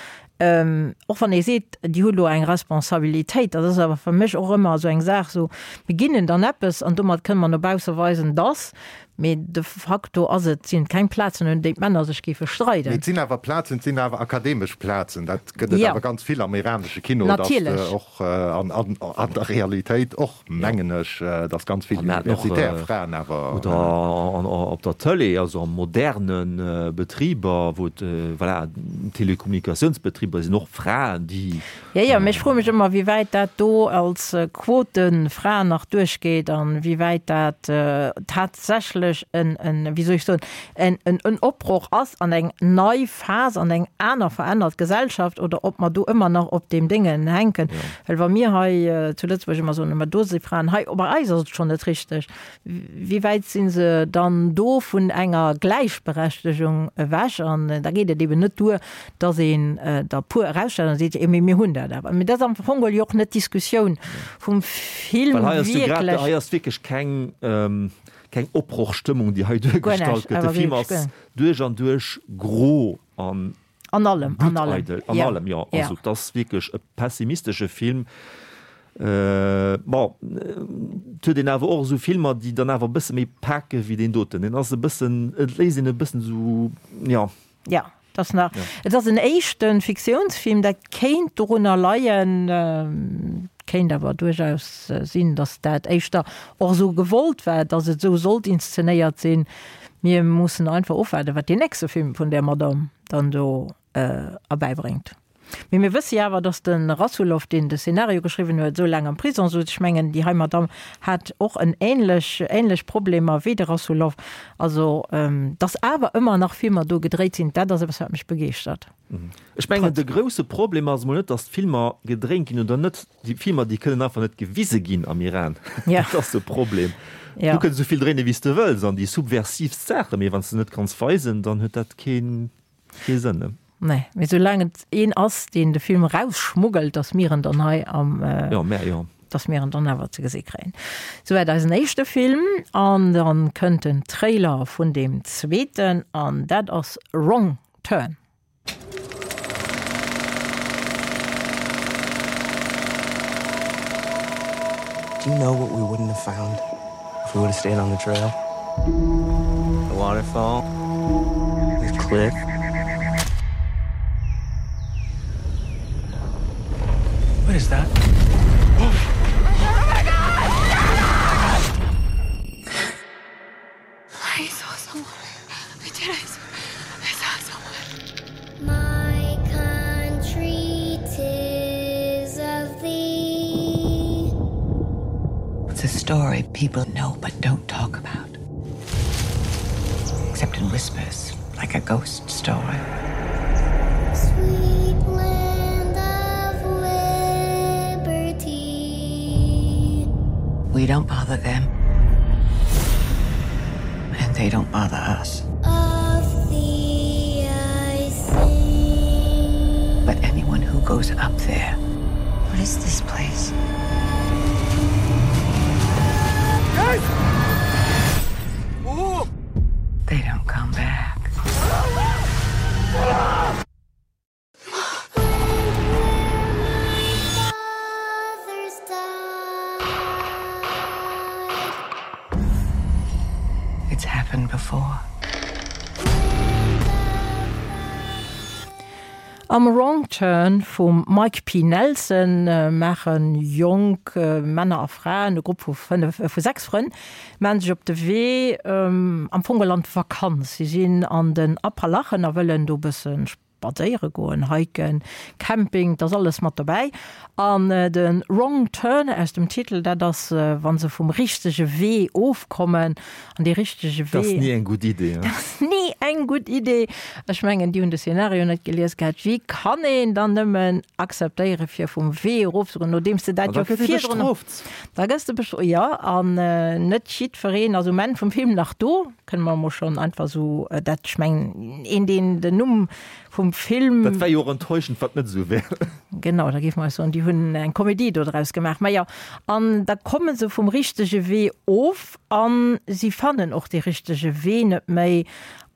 och wann ee seet, déi hu lo eng Responsabilitéit, dat ass awer fir mech och ëmmer esou eng Saach, esou, mir ginn en dann eppes an domat kënne mer no bausse weisen, dass. Mee de facto ass et, sinn et keng Plazen, un déi d'Männer sech géife streiden. Mee et sinn awer Plazen, et sinn awer akademesch Plazen. Dat gëtt et awer ganz vill am iranesche Kino, datt och an an der Realitéit och, mengen ech, datt ganz vill universitär Fraen awer. Oder op der Tëlee, also a moderne Betriber, wou et, voilà, Telekommunikatiounsbetriber sinn och Fraen, déi. Jo, jo, mee ech froe mech ëmmer, wéi wäit dat do als Quotenfra nach duerchgeet an wéi wäit dat tatsächlech en, en, wéi soll ech soen, en, en, en Opbroch ass an eng nei Phas, an eng aner verännert Gesellschaft oder ob mer do ëmmer nach op deem Déngen hänken. Well wa mir hei zu Lëtzebuerg ëmmer soen, ma do si Fraen, hei bei eis ass et schonn net richteg, Wéi wäit si se dann do vun enger Gläichberechtegung ewech? An da geet et eben net duer, datt een der e puer erausstellt an seet, jo, mee mir hunn dat awer. Mee dat ass am Fong geholl jo och net d'Diskussioun vum Film wierklech. Hei ass wierklech keng, keng Opbrochstëmmung, déi hei duergestallt gëtt. De Film ass duerch an duerch gro an An allem, an allem. Bluteidel, an allem, jo. Also et ass wierklech e pessimistesche Film. Bon, et huet een awer och esou Filmer, déi dann awer e bësse méi pake wéi deen doten. Deen ass e bëssen, et léisst een e bëssen esou, jo. Jo, et ass nach, et ass en éischte Fiktiounsfilm, dat kéint dorunner leien, kéint awer duerchaus sinn, datt dat éischter och esou gewollt war, datt et esou sollt inszenéiert sinn. Mir mussen einfach ofwaarden, wat deen nächste Film vun där Madame dann do erbäibréngt. Mee mir wësse jo awer, datt de Rasoulof, deen de Szenario geschriwwen huet, esou laang am Prison souz. Ech mengen, déi hei Madame hat och en ähnlech, ähnlech Problemer wéi de Rasoulof. Also, datt awer ëmmer nach Filmer do gedréit sinn, dat ass eppes, wat mech begeeschtert. Ech mengen, de grousse Problem ass emol net, datt d'Filmer gedréint ginn oder net. Déi Filmer, déi kënnen einfach net gewise ginn am Iran. Dat ass de Problem. Du kënns esou vill dréinen, wéi s de wëlls, an déi subversiivst Saachen, mee wann s de net kanns weisen, dann huet dat kee Sënn. Ne? Nee, mee soulaang et een ass, deen de Film erausschmuggelt, datt mir en dann hei am. Jo, mär jo. Dass mir en dann awer ze gesi kréien. Souwäit eisen éischte Film. An dann kënnt den Trailer vun deem zweeten an dat ass Wrong Turn. Do you know what we wouldn't have found if we would have stayed on the trail? The waterfall, the cliff. What is that? Oh my God! I saw someone. I did. I saw, I saw someone. My country tis of thee. It's a story people know but don't talk about. Except in whispers, like a ghost story. Sweet land of liberty. We don't bother them. And they don't bother us. Of thee I sing. But anyone who goes up there, what is this place? Yes! Oh! They don't come back. It's happened before. Am Wrong Turn vum Mike P. Nelson maache jonk Männer a Fraen, e Grupp vu 5, vu 6 Frënn, maache sech op de Wee, am Fong geholl an d'Vakanz. Si sinn an den Appalachen a wëllen do e bësse Spadséiere goen, hiken, Camping, 't ass alles mat dobäi. An de Wrong Turn aus dem Titel, dat ass, wa se vum richtege Wee ofkommen. An dee richtege Dat ass Wee. ni eng gutt Idee, Dat ass ni eng gutt Idee. Ech mengen, déi hunn de Szenario net gelies gehat. Wéi kann een dann nëmmen akzeptéiere fir vum Wee erofzegoen, nodeems de dat An da jo gëtt ee virdrun. bestrooft. Da gëss de bestrooft, jo. An net jiddwereen ass um Enn vum Film nach do. Kënne mer emol schonn einfach esou dat, ech mengen, een, deen den Numm vum Film. Dat wär jo och enttäuschend, wann et net esou wär. Genau, da géife mer eis soen, déi hunn eng Komedie do draus gemaach. Mä jo, an da komme se vum richtege Wee of a si fannen och dee richtege Wee net méi.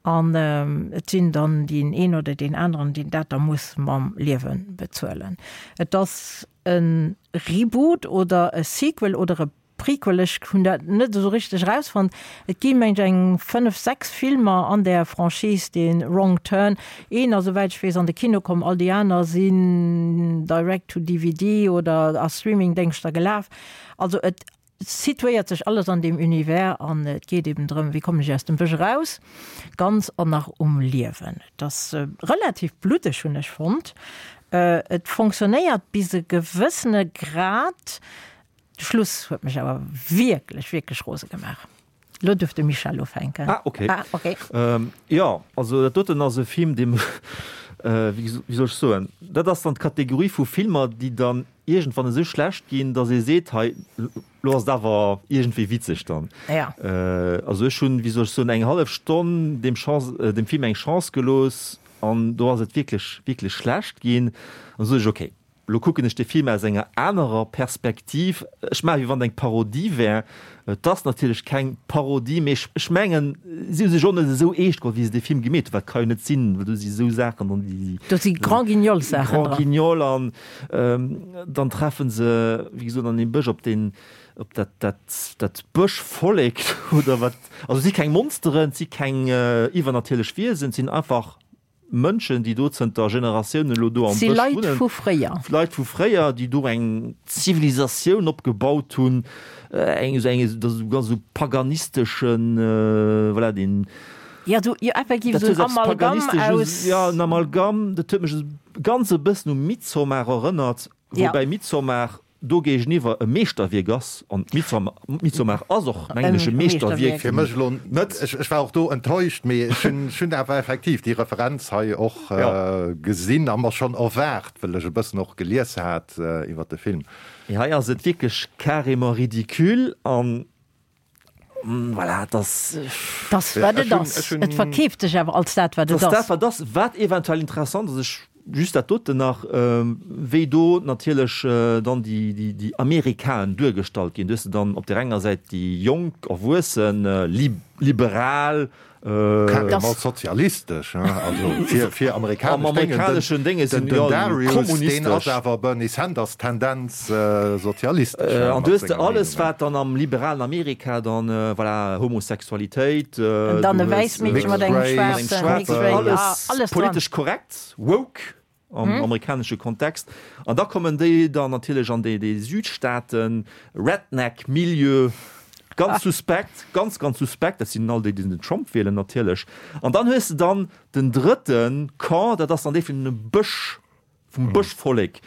An et sinn dann deen een oder deen aneren, deen dat da muss mam Liewe bezuelen. Et ass e Reboot oder e Sequel oder e Prequel, ech hunn dat net esou richteg erausfonnt. Et gi mengt ech eng 5, 6 Filmer an där Franchise, dee Wrong Turn. Een ass esouwäit ech weess an de Kino komm, all déi aner sinn direct to DVD oder a Streamingdéngschter gelaf. Also et situéiert sech alles an deem Univers an et geet eben drëm, wéi kommen ech aus dem Bësch eraus, ganz an nach um Liewen. Et ass relativ bluddeg hunn ech fonnt. Et fonctionnéiert bis e gewëssene Grad. De Schluss huet mech awer wierklech, wierklech rose gemaach. Lo duerf de Michel ufänken. Ah, okay. Ah, okay. Ähm, jo, also dat doten ass e Film, dee mech, äh, wéi, wéi soll ech soen, dat ass dann d'Kategorie vu Filmer, déi dann iergendwann esou schlecht ginn, datt ee seet, hei, lo ass et awer iergendwéi witzeg dann. Ja. Äh, also ech hunn, wéi soll ech soen, eng hallef Stonn deem Chance, äh, dem Film eng Chance gelooss an do ass et wierklech, wierklech schlecht ginn. An da sot ech, okay, Lo kucken ech de Film aus enger anerer Perspektiv. Ech maache wéi wann et eng Parodie wär. Et ass natierlech keng Parodie, mee ech mengen, si hu sech och net esou eescht geholl, wéi se dee Film gemeet hunn. Wat ka jo net sinn, well do si esou Saachen dran, déi. Do si Grand-Guignol-Saachen dran. Grand Guignol an dann treffe se, wéi gesot, an deem Bësch op deen, op dat, dat, dat Bëschvollek oder wat. Also et si keng Monsteren, et si keng iwwernatierlech Wiesen, et sinn einfach Mënschen, déi do zënter Generatiounen elo do am Si Bësch Leit wunnen. vu fréier. Leit vu fréier, déi do eng Zivilisatioun opgebaut hunn, eng esou eng, dat ass esou ganz esou paganisteschen, voilà, deen. Jo, esou, jo, effektiv Dat esou huet en eppes Amalgam Paganistesches, aus. jo, en Amalgam, dat huet mech esou ganz e bëssen u Midsommar erënnert, Ja. woubäi Midsommar do géigeniwwer e Meeschterwierk ass, an Midsommar ass och, mengen ech, e Meeschterwierk. Fir mech elo net, ech war och do enttäuscht, mee ech hunn awer effektiv déi Referenz hei och gesinn a mer schonn erwaart, well ech e bëssen och gelies hat iwwer de Film. Mee hei ass et wierklech carrément ridicule an voilà, et ass. Et ass, wat et ass. Et verkeeft sech awer als dat, wat et ass. Et ass dat, wat ass. Wat eventuell interessant ass, ech. Just dat doten nach, wéi do natierlech dann déi Amerikaen duergestallt ginn. Do hues de dann op där enger Säit déi jonk, erwuessen, liberal, Carrément sozialistesch, hein, also fir, fir amerikanesch Am amerikaneschen Dénge sinn, den, den Darius, deen ass awer Bernie Sanders Tendenz sozialistesch. An du hues de alles, wat dann am liberalen Amerika dann, voilà, Homosexualitéit, An dann e wäisst Meedche mat engem schwaarzen, mixed race, alles politesch korrekt, woke am amerikanesche Kontext. An da kommen déi dann natierlech an déi Südstaaten, Redneck-Milieu, ganz suspekt, ganz, ganz suspekt. Dat sinn all déi, déi den Trump wielen natierlech. An dann hues de dann den drëtte Camp, dat ass dann dee vun dem Bësch, vum Bëschvollek.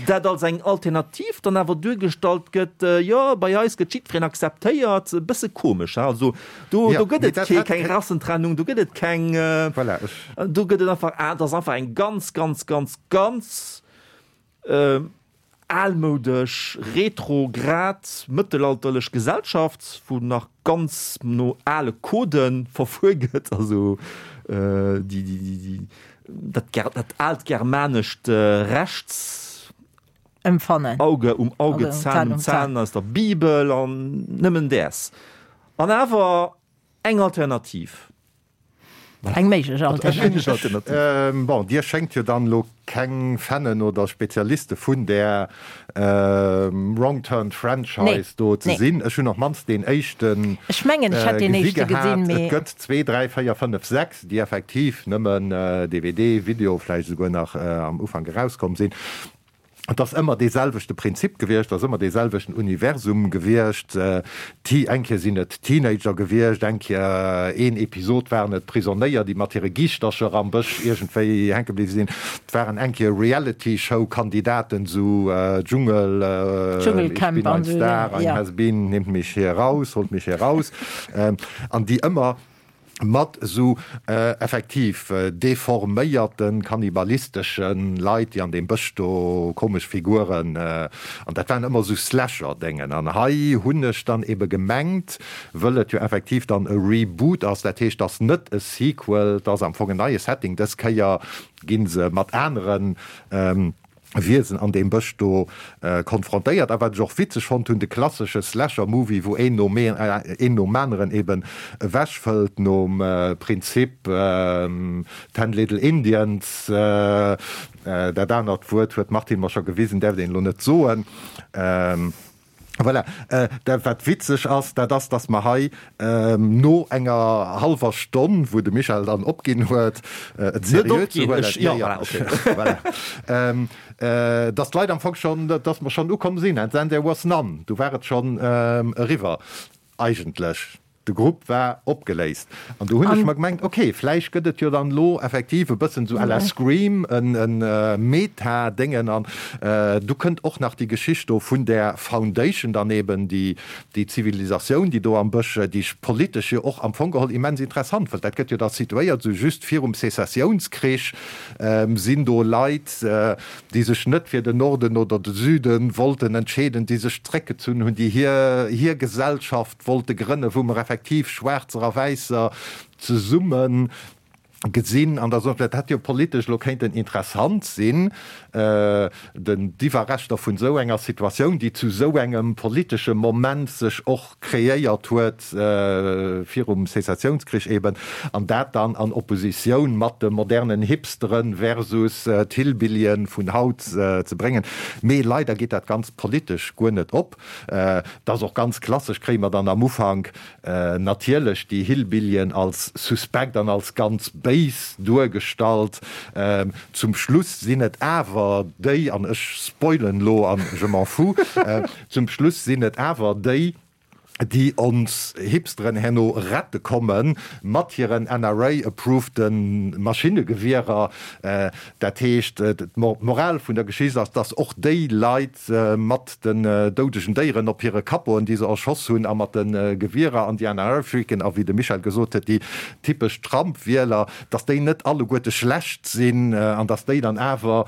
Dat als eng Alternativ dann awer duergestallt gëtt, jo, bei eis gëtt jiddwereen akzeptéiert, e bësse komesch, ha? Also do, do gëtt et kee, keng Rassentrennung, do gëtt et keng, do gëtt et einfach, dat ass einfach eng ganz, ganz, ganz, ganz almoudesch, retrograd, mëttelalterlech Gesellschaft, wou nach ganz no ale Codë verfuer gëtt, also déi, déi, déi, Dat, dat aalt germanescht Rechts. Empfannen. Auge um Auge, Zahn um Zahn aus der Bibel an nëmmen däers. An awer eng Alternativ. Eng méiglech Alternativ. Bon, Dir schéngt jo dann elo keng Fannen oder Spezialiste vun där Wrong Turn Franchise do ze sinn. Ech hunn op d'mannst deen éischte Ech mengen, ech hätt deen éischte gesinn, mee. Et gëtt zwee, dräi, véier, fënnef, 6. déi effektiv nëmmen DVD, Video vläicht esouguer nach am Ufank erauskomm sinn. Et ass ëmmer dee selwechte Prinzip gewiescht, et ass ëmmer dee selwechten Universum gewiescht. Eng Kéier sinn et Teenager gewiescht, eng Kéier, een Episod waren et Prisonéier, déi mat hire Giischtercher am Bësch iergendwéi hänke bliwwe sinn. Et waren eng Kéier Reality-Show-Kandidaten, esou Dschungel, Ich bin ein Star, ein Has-Been, nehmt mich hier raus, holt mich hier raus, an déi ëmmer mat esou effektiv deforméierten, kannibalisteschen Leit, déi an deem Bësch do komesch Figuren, an dat waren ëmmer esou Slasher-Déngen. An hei hunn ech dann ebe gemengt, wëll et jo effektiv dann e Reboot ass, dat heescht, et ass net e Sequel, et ass am Fong en neie Setting, dës Kéier gi se mat aneren Wiesen an deem Bësch do konfrontéiert. A wat ech och witzeg fonnt hunn, de klassesche Slasher-Movie, wou een nom een nom aneren eben ewechfëllt, nom Prinzip Ten Little Indians, dat anert Wuert huet d'Martine mer scho gewisen, däerft een elo net soen. Voilà. Dat, wat witzeg ass, dat ass, dass mer hei no enger hallwer Stonn, wou de Michel dann opginn huet, et seriö ze huelen, jo, jo, voilà, dass d'Leit am Fong schonn, dass mer schonn ukomm sinn, and then there was none, du war et schonn eriwwer eigentlech. De Grupp war opgeléist. An do hunn ech mer gemengt, ok, vläicht gëtt et jo dann elo effektiv e bëssen esou à la Scream en Meta-Déngen. An du kënnt och nach déi Geschicht do vun där Foundation dann eben, déi déi Zivilisatioun, déi do am Bësch, déi ech politesch jo och am Fong geholl immens interessant fënnt. Dat gëtt jo da situéiert esou just virum Sezessiounskrich, sinn do Leit, déi sech net fir den Norden oder de Süde wollten entscheeden, déi sech zréckgezunn hunn, déi hir hir Gesellschaft wollte grënnen, wou mer effektiv Schwaarzer a Wäisser zesumme gesinn an der, dat hätt jo politesch elo kéinten interessant sinn, den, d'Iwwerreschter vun esou enger Situatioun, déi zu esou engem politesche Moment sech och kreéiert huet, virum Sezessiounskrich eben, an dat dann an Oppositioun mat de modernen Hipsteren versus d'Hillbillyen vun haut ze bréngen. Mee leider geet dat Ganzt politesch guer net op. Et ass och ganz klassesch, kréie mer dann am Ufank natierlech déi Hillbillyen als suspekt an als ganz béis duergestallt. Zum Schluss sinn et awer déi, an ech spoilen elo an je m'en fous, zum Schluss sinn et awer déi, déi ons Hipsteren herno rette komme mat hiren NRA-approveden Maschinnegewierer. Dat heescht, d'Moral vun der Geschicht ass, dass och déi Leit mat den doudegen Déieren op hire Kappoen, déi se erschoss hunn, a mat de Gewierer an déi NRA-Freaken a wéi de Michel gesot huet, déi typesch Trump-Wieler, dass déi net alleguerte schlecht sinn an dass déi dann awer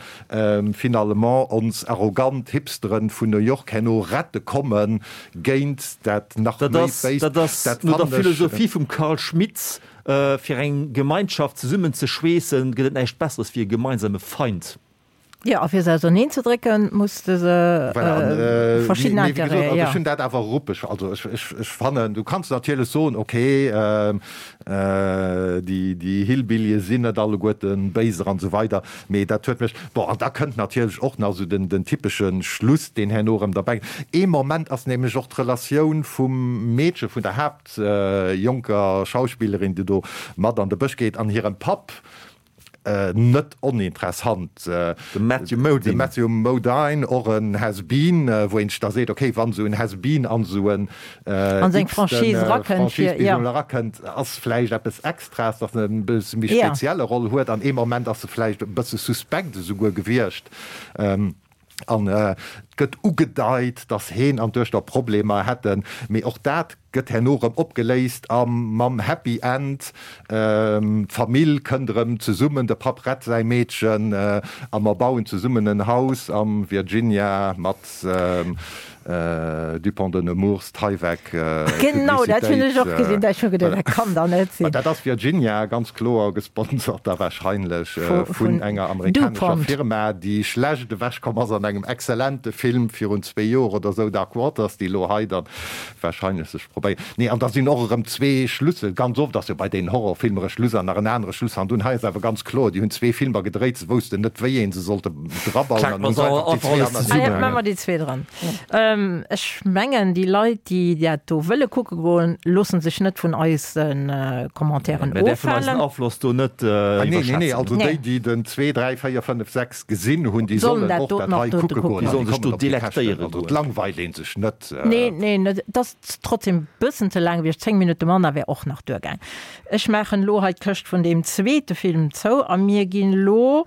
finalement ons arrogant Hipsteren vun New York herno rette komme géint dat nach méi Béist. Dat ass no der Philosophie vum Carl Schmitt. Fir eng Gemeinschaft zesummen ze schweessen, gëtt et näischt Besseres wéi e gemeinsame Feind. Jo, a fir se auserneen ze drécken, muss de se verschidden Intérêten, jo. Ech hunn dat awer ruppeg, also ech fannen, du kanns natierlech soen, okay, déi Hillbillië sinn net alleguerte Béiser an esou weider, mee dat huet mech, bon, an da kënnt natierlech och nach esou den typesche Schluss, deen herno erëm derbäi. Ee Moment ass nämlech och d'Relatioun vum Meedche, vun der Haapt. Jonker Schauspillerin, déi do mat an de Bësch geet, an hirem Papp, net oninteressant. De Matthew Modine. De Matthew Modine, och en Has-Been, wou een sech da seet, okay, wann esou en Has-Been an esou en An seng Franchise erakënnt, fir, jo. Erakënnt, ass vläicht eppes Extraes, datt en e bësse méi spezielle Roll huet. An ee Moment ass e vläicht e bësse suspekt esouguer gewiescht. An et gëtt ugedeit, datt heen an d'Duechter Problemer hätten, mee och dat gëtt herno erëm opgeléist a mam Happy End, d'Famill kënnt erëm zesummen, de Papp rett säi Meedchen a mer bauen zesummen en Haus am Virginia mat Dupont de Nemours, Tyvek, Genau, dat hunn ech och gesinn, dat ech hu geduet, dat kann dach net sinn. Dat ass Virginia, ganz kloer gesponsert da wahrscheinlech vun enger amerikanescher Firma, déi schlecht ewechkomm ass an engem exzellente Film virun zwee Joer oder esou, Dark Waters, déi elo hei dann wahrscheinlech sech probéieren. Nee, an da sinn och erëm zwee Schlüssel, ganz oft ass jo bei deenen Horrorfilmer e Schluss an nach en anere Schluss hannendrun. Hei ass awer ganz kloer, déi hunn zwee Filmer gedréit, se woussten net, wéi ee se sollte drabauen an hunn se einfach déi zwee anerteneen. Maache mer déi zwee dran. Ech mengen, déi Leit, déi dat do wëlle kucke goen, loosse sech net vun eise Commentairen ofhalen. Mir däerfen eisen Afloss do net iwwerschätzen. Nee, nee, nee, also déi, déi den 2, 3, 4, 5, 6 gesinn hunn, déi sollen och dat hei kucke goen. Déi sollen sech do delektéiere goen. Et langweilt ee sech net. Nee, nee, et ass trotzdem e bëssen ze laang gewiescht. 10 Minutte manner wär och nach duergaang. Ech maachen elo hei d'Këscht vun deem zweete Film zou a mir ginn elo,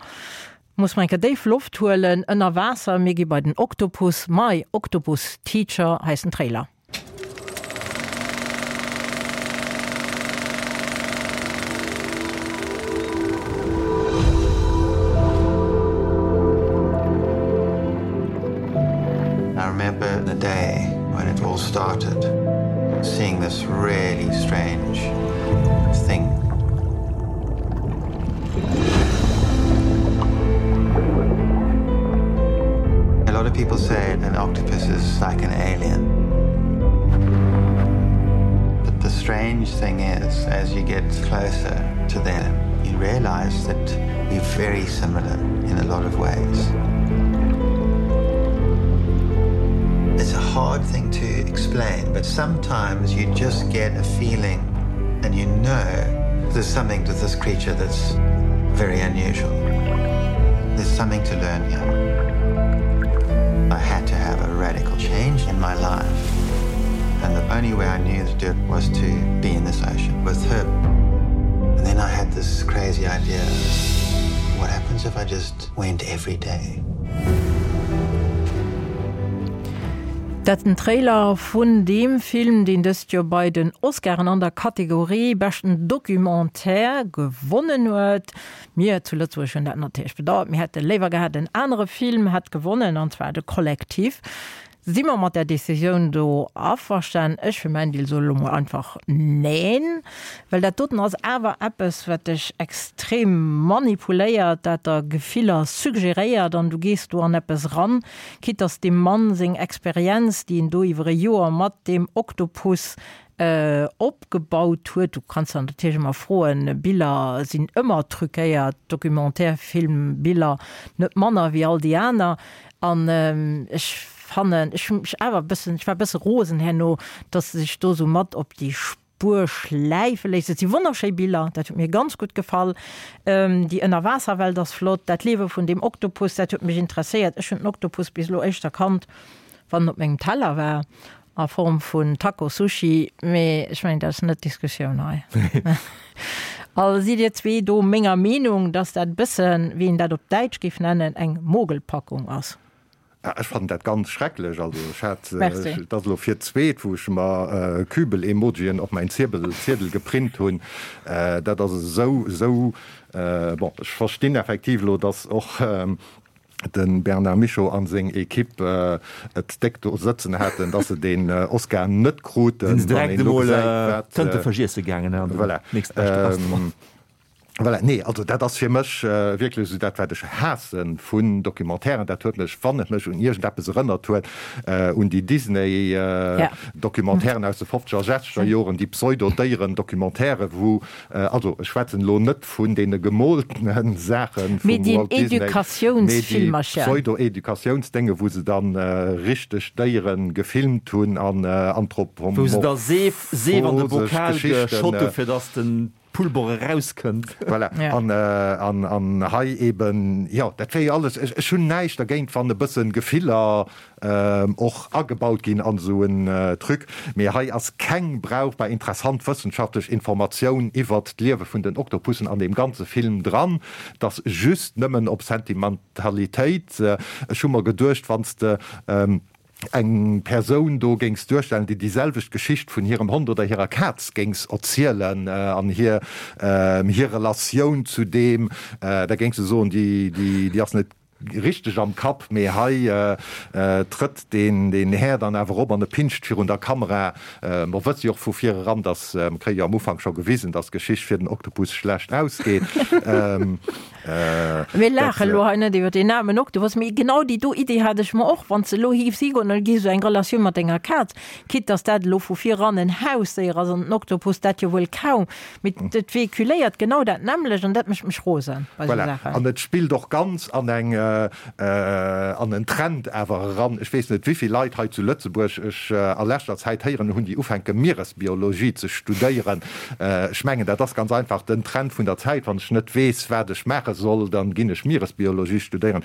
muss mer eng Kéier déif Loft huelen, ënner Waasser. Mir gi bei den Oktopus. My Octopus Teacher heist den Trailer. I remember the day when it all started, seeing this really strange thing. A lot of people say an octopus is like an alien. But the strange thing is, as you get closer to them, you realize that we're very similar in a lot of ways. It's a hard thing to explain, but sometimes you just get a feeling and you know there's something to this creature that's very unusual. There's something to learn here. I had to have a radical change in my life. And the only way I knew to do it was to be in this ocean with her. And then I had this crazy idea. What happens if I just went every day? Dat den Trailer vun deem Film, deen dëst Joer bei den Oscaren an der Kategorie beschten Documentaire gewonnen huet. Mir zu Lëtzebuerg hunn dat natierlech bedauert. Mir hätte léiwer gehat, en anere Film hätt gewonnen, an zwar de Kollektiv. Si mer mat där Décisioun do averstan? Ech fir mäin Deel soe lo mol einfach Neen, well dat doten ass awer eppes, wat dech extrem manipuléiert, dat der Gefiller suggeréiert an du gees do an eppes ran, quitte dass deem Mann seng Experienz, déi en do iwwer e Joer mat deem Oktopus opgebaut huet, du kanns der natierlech ëmmer froen, Biller sinn ëmmer truquéiert, Documentaire-Film-Biller net manner wéi all déi aner, an ech fannen, ech hu mech awer e bëssen, ech war e bësse rosen herno, dass se sech do esou mat op déi Spuer schläife léisst. Et si wonnerschéi Biller, dat huet mir ganz gutt gefall. Déi Ënnerwaasserwelt ass flott, dat Liewe vun deem Oktopus, dat huet mech interesséiert. Ech hunn den Oktopus bis elo éischter kannt, wann en op mengem Teller war, a Form vun Taco Sushi, mee ech mengen, dat ass net d'Diskussioun hei. Also sidd Dir zwee do menger Meenung, dass dat e bëssen, wéi een dat op Däitsch géif nennen, eng Mogelpackung ass? Ech fannen dat ganz schrecklech. Also ech hat, et ass elo fir d'zweet wou ech mer Kübel-Emojien op mäin Ziedel geprint hunn. Dat ass esou, esou, bon, ech verstinn effektiv elo, datt och. De Bernard Michaux an seng Equipe et déck do sëtzen haten, dass se deen Oscar net kruten. Sinn se direkt emol Tënte iesse gaangen an den nächstbeschte Restaurant. Voilà, nee, also dat ass fir mech wierklech esou dat, wat ech haasse vun Documentairen. Dat huet mech, wann et mech un iergendeppes erënnert huet, un déi Disney-Documentairen aus de fofzeger a sechzeger Joren, déi Pseudo-Déieren-Documentairen, wou, also ech schwätzen elo net vun deene gemooltene Saache vum Walt Disney, mee déi Pseudo-Educatiounsdénge, wou se dann richteg Déiere gefilmt hunn an anthropomorphosesch Geschichten. Wou se da Seef, Seef an de Bokal geschott hu fir datt den Pulver erauskënnt. Voilà. An, an, an hei eben, jo, dat wär jo alles, ech, ech hunn näischt dergéint, wann e bëssen Gefiller och agebaut ginn an esou en Truc, mee hei ass keng brauchbar interessant wëssenschaftlech Informatioun iwwert d'Liewe vun den Oktopussen an deem ganze Film dran. 't ass just nëmmen op Sentimentalitéit. Ech hu mer geduecht, wann s de eng Persoun do géings duerstellen, déi déi selwecht Geschicht vun hirem Hond oder hirer Kaz géings erzielen an hir hir Relatioun zu deem, da géings de soen, déi déi ass net richteg am Kapp. Mee hei trëtt deen deen Här dann awer op an e pinscht virun der Kamera. Mer wësse jo och vu vir eran, dass, mer kréie jo am Ufank scho gewisen, dass d'Geschicht fir den Oktopus schlecht ausgeet. Mir laache lo hei net iwwer deen aarmen Oktopus, mee genau déi do Idee hat ech mer och, wann s de elo hiefs higoen an et géif esou eng Relatioun mat denger Kaz, quitte dass dat elo vu vir eran en Hausdéier ass an den Oktopus dat jo wuel kaum, mee et véhiculéiert genau dat nämmlecht an dat mécht mech rosen bei esou Voilà. Saachen. An et spillt och ganz an eng, an en Trend awer eran. Ech weess net, wéivill Leit hei zu Lëtzebuerg ech a leschter Zäit héieren hunn, déi ufänke Mieresbiologie ze studéieren. Ech mengen, dat ass ganz einfach den Trend vun der Zäit. Wann ech net weess, wat ech maache soll, dann ginn ech Mieresbiologie studéieren.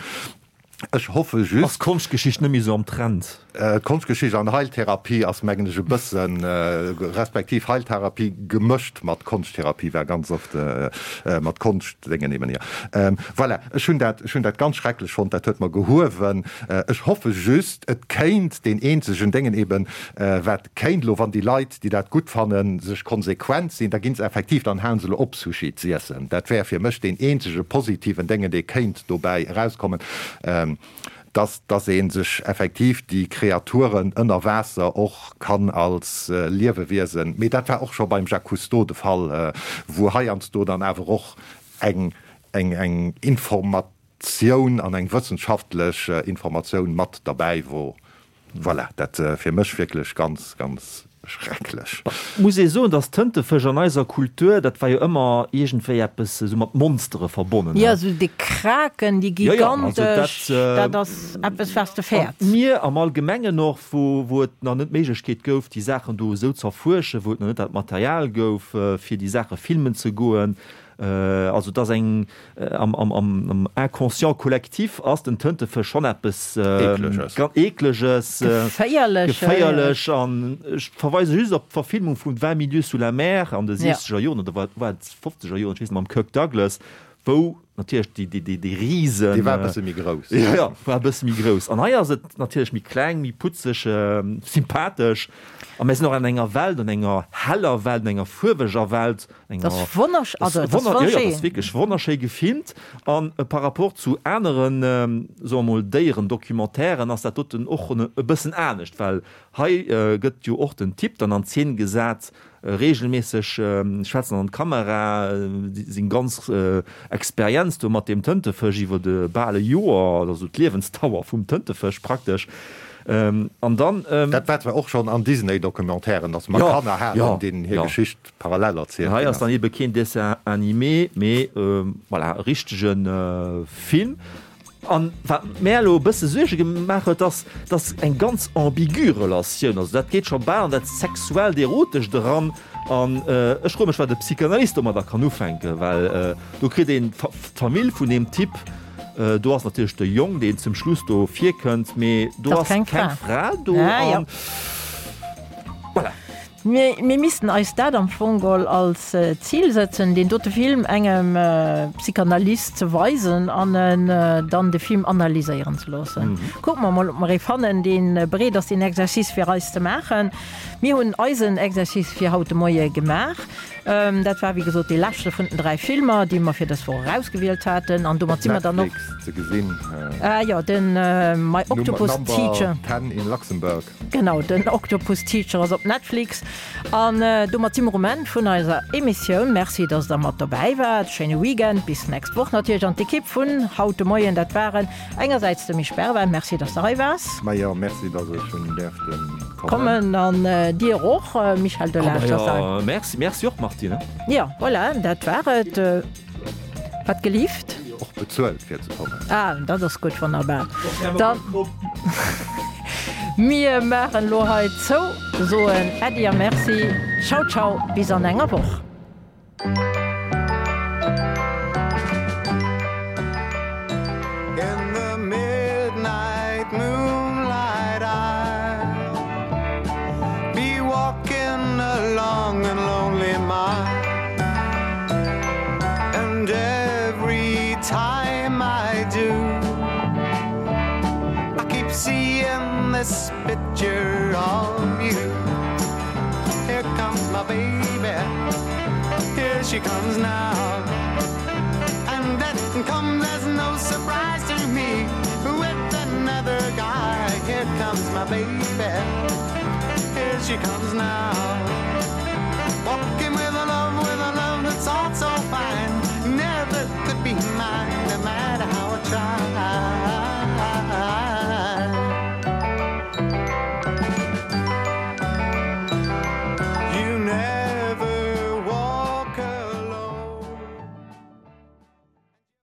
Ech hoffe just. Ass d'Konschtgeschicht net méi esou am Trend? D'Konschtgeschicht an Heiltherapie ass, mengen ech, e bëssen, respektiv Heiltherapie gemëscht mat Konschttherapie war ganz oft mat Konschtdéngen eben, jo. Voilà, ech hunn dat, ech hunn dat ganz schrecklech fonnt, dat huet mer gehuewen. Ech hoffe just, et kéint deen eenzegen Déngen eben, wat Kéint elo, wann déi Leit, déi dat gutt fannen, sech konsequent sinn, da ginn se effektiv, dann halen se elo op Sushi z'iessen. Dat wär fir mech deen eenzege positiven Déngen, dee kéint dobäi erauskommen, dass, dass ee sech effektiv déi Kreaturen ënner Waasser och kann als Liewewiesen, mee dat war och scho beim Jacques Cousteau de Fall, wou heiansdo dann awer och eng, eng, eng Informatioun an eng wëssenschaftlech Informatioun mat derbäi wor. Voilà, dat fir mech wierklech ganz, ganz schrecklech. Muss ee soen, dass Tëntefësch an eiser Kultur, dat war jo ëmmer iergendwéi eppes esou mat Monstere verbonnen. Jo, esou déi Kraken, déi gigantesch, dat ass eppes, wat s de fäerts. An d'Mier am Allgemengen och, wou, wou et nach net d'Méiglechkeet gouf, déi Saachen do esou z'erfuerschen, wou et nach net dat Material gouf, fir déi Saache filmen ze goen. Also et ass eng, am Inconscient collectif ass den Tëntefësch schonn eppes Eekleges, Geféierleches. An ech verweise just op d'Verfilmung vun Vingt mille lieues sous la mer an de siechzeger Joren, oder war et fofzeger Joren, ech weess net, mam Kirk Douglas, wou natierlech déi Risen. Dee war e bësse méi grouss. Jo, jo, war e bësse méi grouss. An hei ass et natierlech méi kleng, méi putzeg, sympathesch. A mir sinn och an enger Welt, an enger heller Welt, an enger fuerweger Welt, Dat ass wonnersch, also dat ass wonnerschéi. Dat ass wierklech wonnerschéi gefilmt. An par rapport zu aneren, soe mer mol, Déierendocumentairen ass dat doten och e bëssen anescht, well hei gëtt jo och den Typ dann an Zeen gesat, reegelméisseg schwätzen an d'Kamera, seng ganz Experienz do mat deem Tëntefësch iwwer e bal e Joer, also d'Liewensdauer vum Tëntefësch praktesch. An dann. Dat war zwar och schonn an Disney-Documentairen, datt mer Kanner haten, deenen hir Geschicht parallel erzielt ginn ass. Hei ass dann ebe keen Dessin animé, mee voilà, e richtege Film. An wat mär elo e bësse Suerge gemaach huet, ass, dass eng ganz ambigu Relatioun, also dat geet scho bal an dat Sexuellt, Erotescht eran. An ech froe mech, wat e Psychanalyst domadder kann ufänken, well do kritt een d'Famill vun deem Typ, do ass natierlech de Jong, deen zum Schluss do virkënnt, mee do ass keng Fra do. An voilà. Mir missten eis dat am Fong geholl als Zil sëtzen, deen dote Film engem Psychanalyst ze weisen an en dann de Film analyséieren ze loossen. Kucke mer mol, ob mer ee fannen, dee bereet ass, deen Exercice fir eis ze maachen. Mir hunn eisen Exercice fir haut de Moie gemaach. Dat war, wéi gesot, dee leschte vun den 3 Filmer, déi mer fir dës Woch erausgewielt haten. An domat si mer dann och. Op Netflix ze gesinn. Ah jo, den My Octopus Teacher. Number 10 in Luxembourg. Genau, den Octopus Teacher ass op Netflix. An domat si mer um Enn vun eiser Emissioun. Merci, dass der mat dobäi waart. Schéine Weekend, bis d'nächst Woch natierlech. An d'Ekipp vun haut de Moien, dat waren engersäits de Misch Bervin, merci, dass de hei waars. Majo, merci, dass ech hunn däerften kommen. Kommen. An dir och, Michel Delage, dass der. Merci, merci och, Martine. Jo, voilà, dat war et. Wat gelift? Och bezuelt fir ze kommen. Ah, dat ass gutt, wonnerbar. Dann, mir maachen elo hei zou, soen Äddi a Merci. Ciao, ciao, bis an enger Woch. In the midnight moonlight I'll be walking a long and lonely mile And every time I do I keep seeing this picture of you Here comes my baby Here she comes now And that comes as no surprise to me With another guy Here comes my baby Here she comes now.